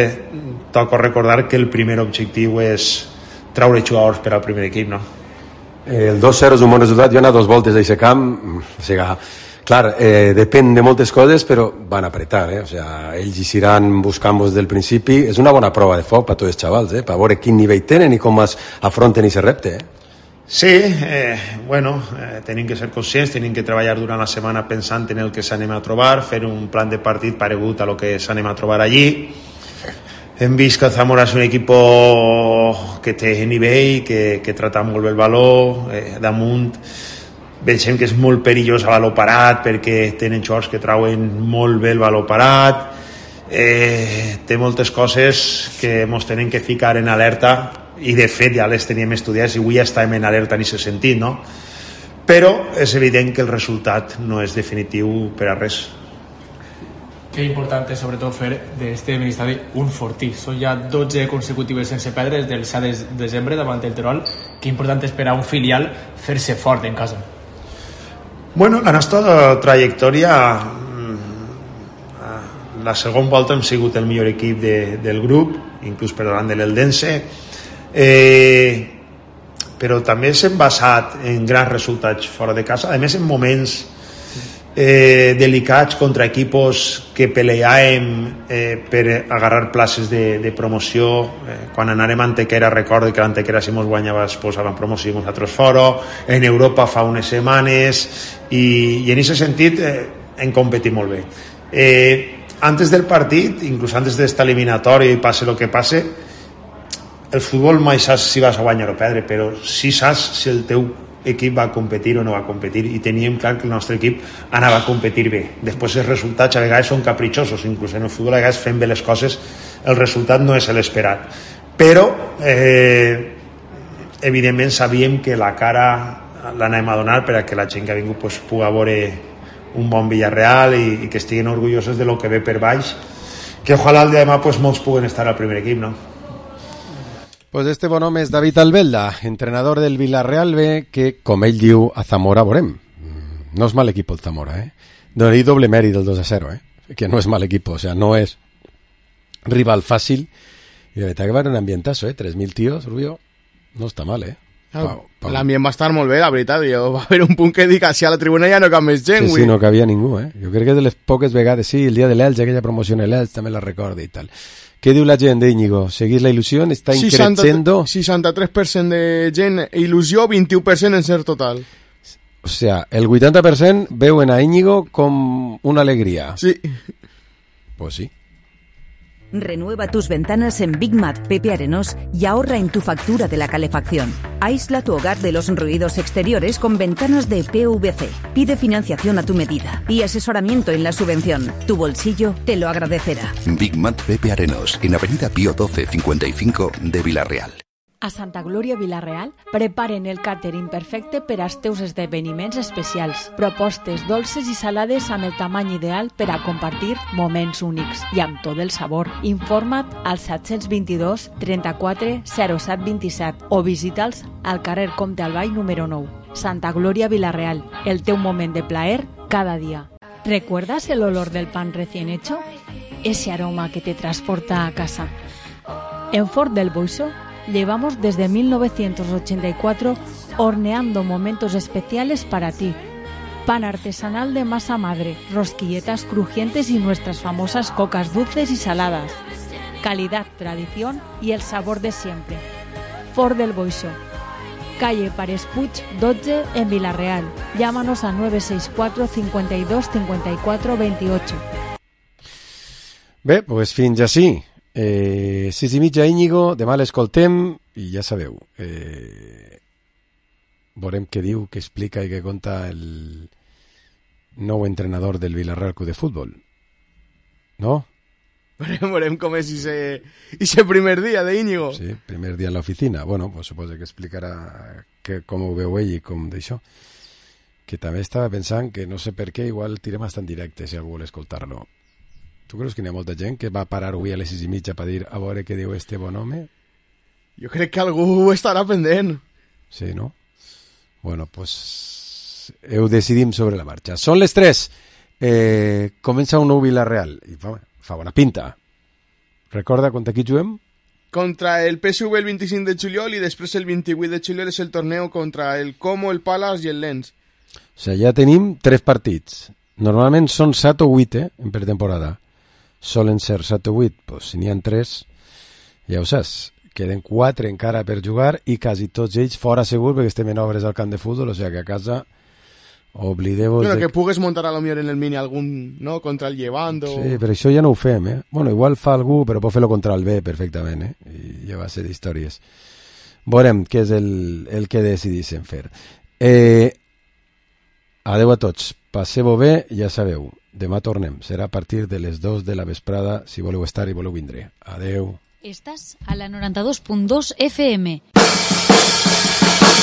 toca recordar que el primer objectiu és traure jugadors per al primer equip, no? El dos zero és un bon resultat, jo he anat dos voltes d'aquest camp, o sigui, clar, eh, depèn de moltes coses, però van apretar, eh? O sea, ells iran buscant-vos del principi. És una bona prova de foc per tots els xavals, eh? Per veure quin nivell tenen i com es afronten aquest repte. Eh? Sí, eh, bueno, eh, tenim que ser conscients, tenim que treballar durant la setmana pensant en el que s'anem a trobar, fer un plan de partit paregut a lo que s'anem a trobar allí. Hem vist que el Zamora és un equip que té nivell, que, que trata molt bé el valor, eh, damunt. Veiem que és molt perillós a valor parat perquè tenen jugadors que trauen molt bé el valor parat. Eh, té moltes coses que ens tenen que ficar en alerta, i de fet ja les teníem estudiades i avui ja estàvem en alerta en aquest sentit, no? Però és evident que el resultat no és definitiu per a res. Que important és sobretot fer d'este mini-estadi un fortí. Són ja dotze consecutives sense perdre des del set de desembre davant el Terol. Que important és per a un filial fer-se fort en casa. Bueno, la nostra trajectòria, la segona volta hem sigut el millor equip de, del grup, inclús per davant de l'Eldense, eh, però també s'hem basat en grans resultats fora de casa, a més en moments eh, delicats contra equipos que peleàvem eh, per agarrar places de, de promoció. Eh, quan anàrem a Antequera, recordo que l'Antequera si mos guanyava es posava en promoció i nosaltres fora, en Europa fa unes setmanes, i, i en aquest sentit eh, hem competit molt bé. Eh, antes del partit, inclús antes d'esta eliminatòria i passe el que passe, el futbol mai saps si vas a guanyar o perdre, però sí saps si el teu equip va competir o no va competir, i teníem clar que el nostre equip anava a competir bé. Després els resultats a vegades són capritxosos, inclús en el futbol a vegades fent bé les coses el resultat no és l'esperat, però eh, evidentment sabíem que la cara l'anàvem a donar per a que la gent que ha vingut pues, pugui veure un bon Villarreal i, i que estiguin orgullosos de lo que ve per baix, que ojalà el dia de demà pues, molts puguen estar al primer equip, no? Pues este bon home és David Albelda, entrenador del Villarreal B, que, com ell diu, a Zamora veurem. No és mal equip el Zamora, eh? Donaria doble mèrit del dos a zero, eh? Que no és mal equip, o sea, no és rival fàcil. I la veritat que va en un ambientazo, eh? tres mil tios, Rubio, no està mal, eh? Ah, l'ambient va estar molt bé, la veritat. Jo, va haver un punt que dic, si a la tribuna ja no cap més gent. Sí, sí, no cabia ningú, eh? Jo crec que de les poques vegades, sí, el dia de l'Elx, aquella promoció en l'Elx, també la recorda i tal. Què diu la gent d'Íñigo? ¿Seguís la il·lusió? ¿Està increciendo? seixanta-tres per cent de gent il·lusió, vint-i-u per cent en ser total. O sea, el vuitanta per cent veuen a Íñigo com una alegría. Sí. Pues sí. Renueva tus ventanas en Big Mat Pepe Arenós y ahorra en tu factura de la calefacción. Aísla tu hogar de los ruidos exteriores con ventanas de P V C. Pide financiación a tu medida y asesoramiento en la subvención. Tu bolsillo te lo agradecerá. Big Mat Pepe Arenós, en Avenida Pío doce cincuenta y cinco de Villarreal. A Santa Glòria Villarreal preparen el càtering perfecte per als teus esdeveniments especials. Propostes dolces i salades amb el tamany ideal per a compartir moments únics i amb tot el sabor. Informa't al set dos dos, trenta-quatre, zero set vint-i-set o visita'ls al carrer Comte Albay número nou. Santa Glòria Villarreal, el teu moment de plaer cada dia. ¿Recuerdas el olor del pan recién hecho? Ese aroma que te transporta a casa. En Fort del Boixo llevamos desde mil novecientos ochenta y cuatro horneando momentos especiales para ti. Pan artesanal de masa madre, rosquilletas crujientes y nuestras famosas cocas dulces y saladas. Calidad, tradición y el sabor de siempre. Fort del Boixo, calle Pares Puig dotze en Villarreal. Llámanos a nueve seis cuatro, cincuenta y dos, cincuenta y cuatro, veintiocho. Bé, pues fins així. Eh, sis i mitja Íñigo, demà l'escoltem i ja sabeu, eh, veurem què diu, què explica i què conta el nou entrenador del Villarreal Club de Futbol, no? Veurem, veurem com és ese primer dia d'Íñigo. Sí, primer dia a l'oficina. Bueno, pues suposo que explicarà que, com ho veu ell i com d'això, que també estava pensant que no sé per què igual tirem bastant directe si algú vol escoltar-lo. Tu creus que hi ha molta gent que va parar avui a les sis i mitja per dir a veure què diu este bon home? Jo crec que algú estarà pendent. Sí, no? Bueno, pues heu decidim sobre la marxa. Són les tres. Eh, comença un nou Villarreal i fa, fa bona pinta. Recorda contra qui juguem? Contra el P S V el vint-i-cinc de juliol i després el vint-i-vuit de juliol és el torneo contra el Como, el Palace i el Lens. O sigui, ja tenim tres partits. Normalment són set o vuit, eh, en pretemporada. Solen ser set o vuit, doncs si n'hi ha tres, ja ho saps, queden quatre encara per jugar i quasi tots ells fora segur perquè estem en obres al camp de futbol, o sigui que a casa oblideu-vos... Bueno, de... que pugues muntar a lo millor en el mini algun, no?, contra el Llevant o... Sí, però això ja no ho fem, eh? Bueno, igual fa algú, però pot fer-lo contra el B perfectament, eh? I ja va ser d'històries. Veurem què és el, el que decidissin fer. Eh, adeu a tots, passeu-ho bé, ja sabeu. Demà tornem, serà a partir de les dos de la vesprada, si voleu estar i voleu vindre. Adeu. Estàs a la noranta-dos punt dos F M.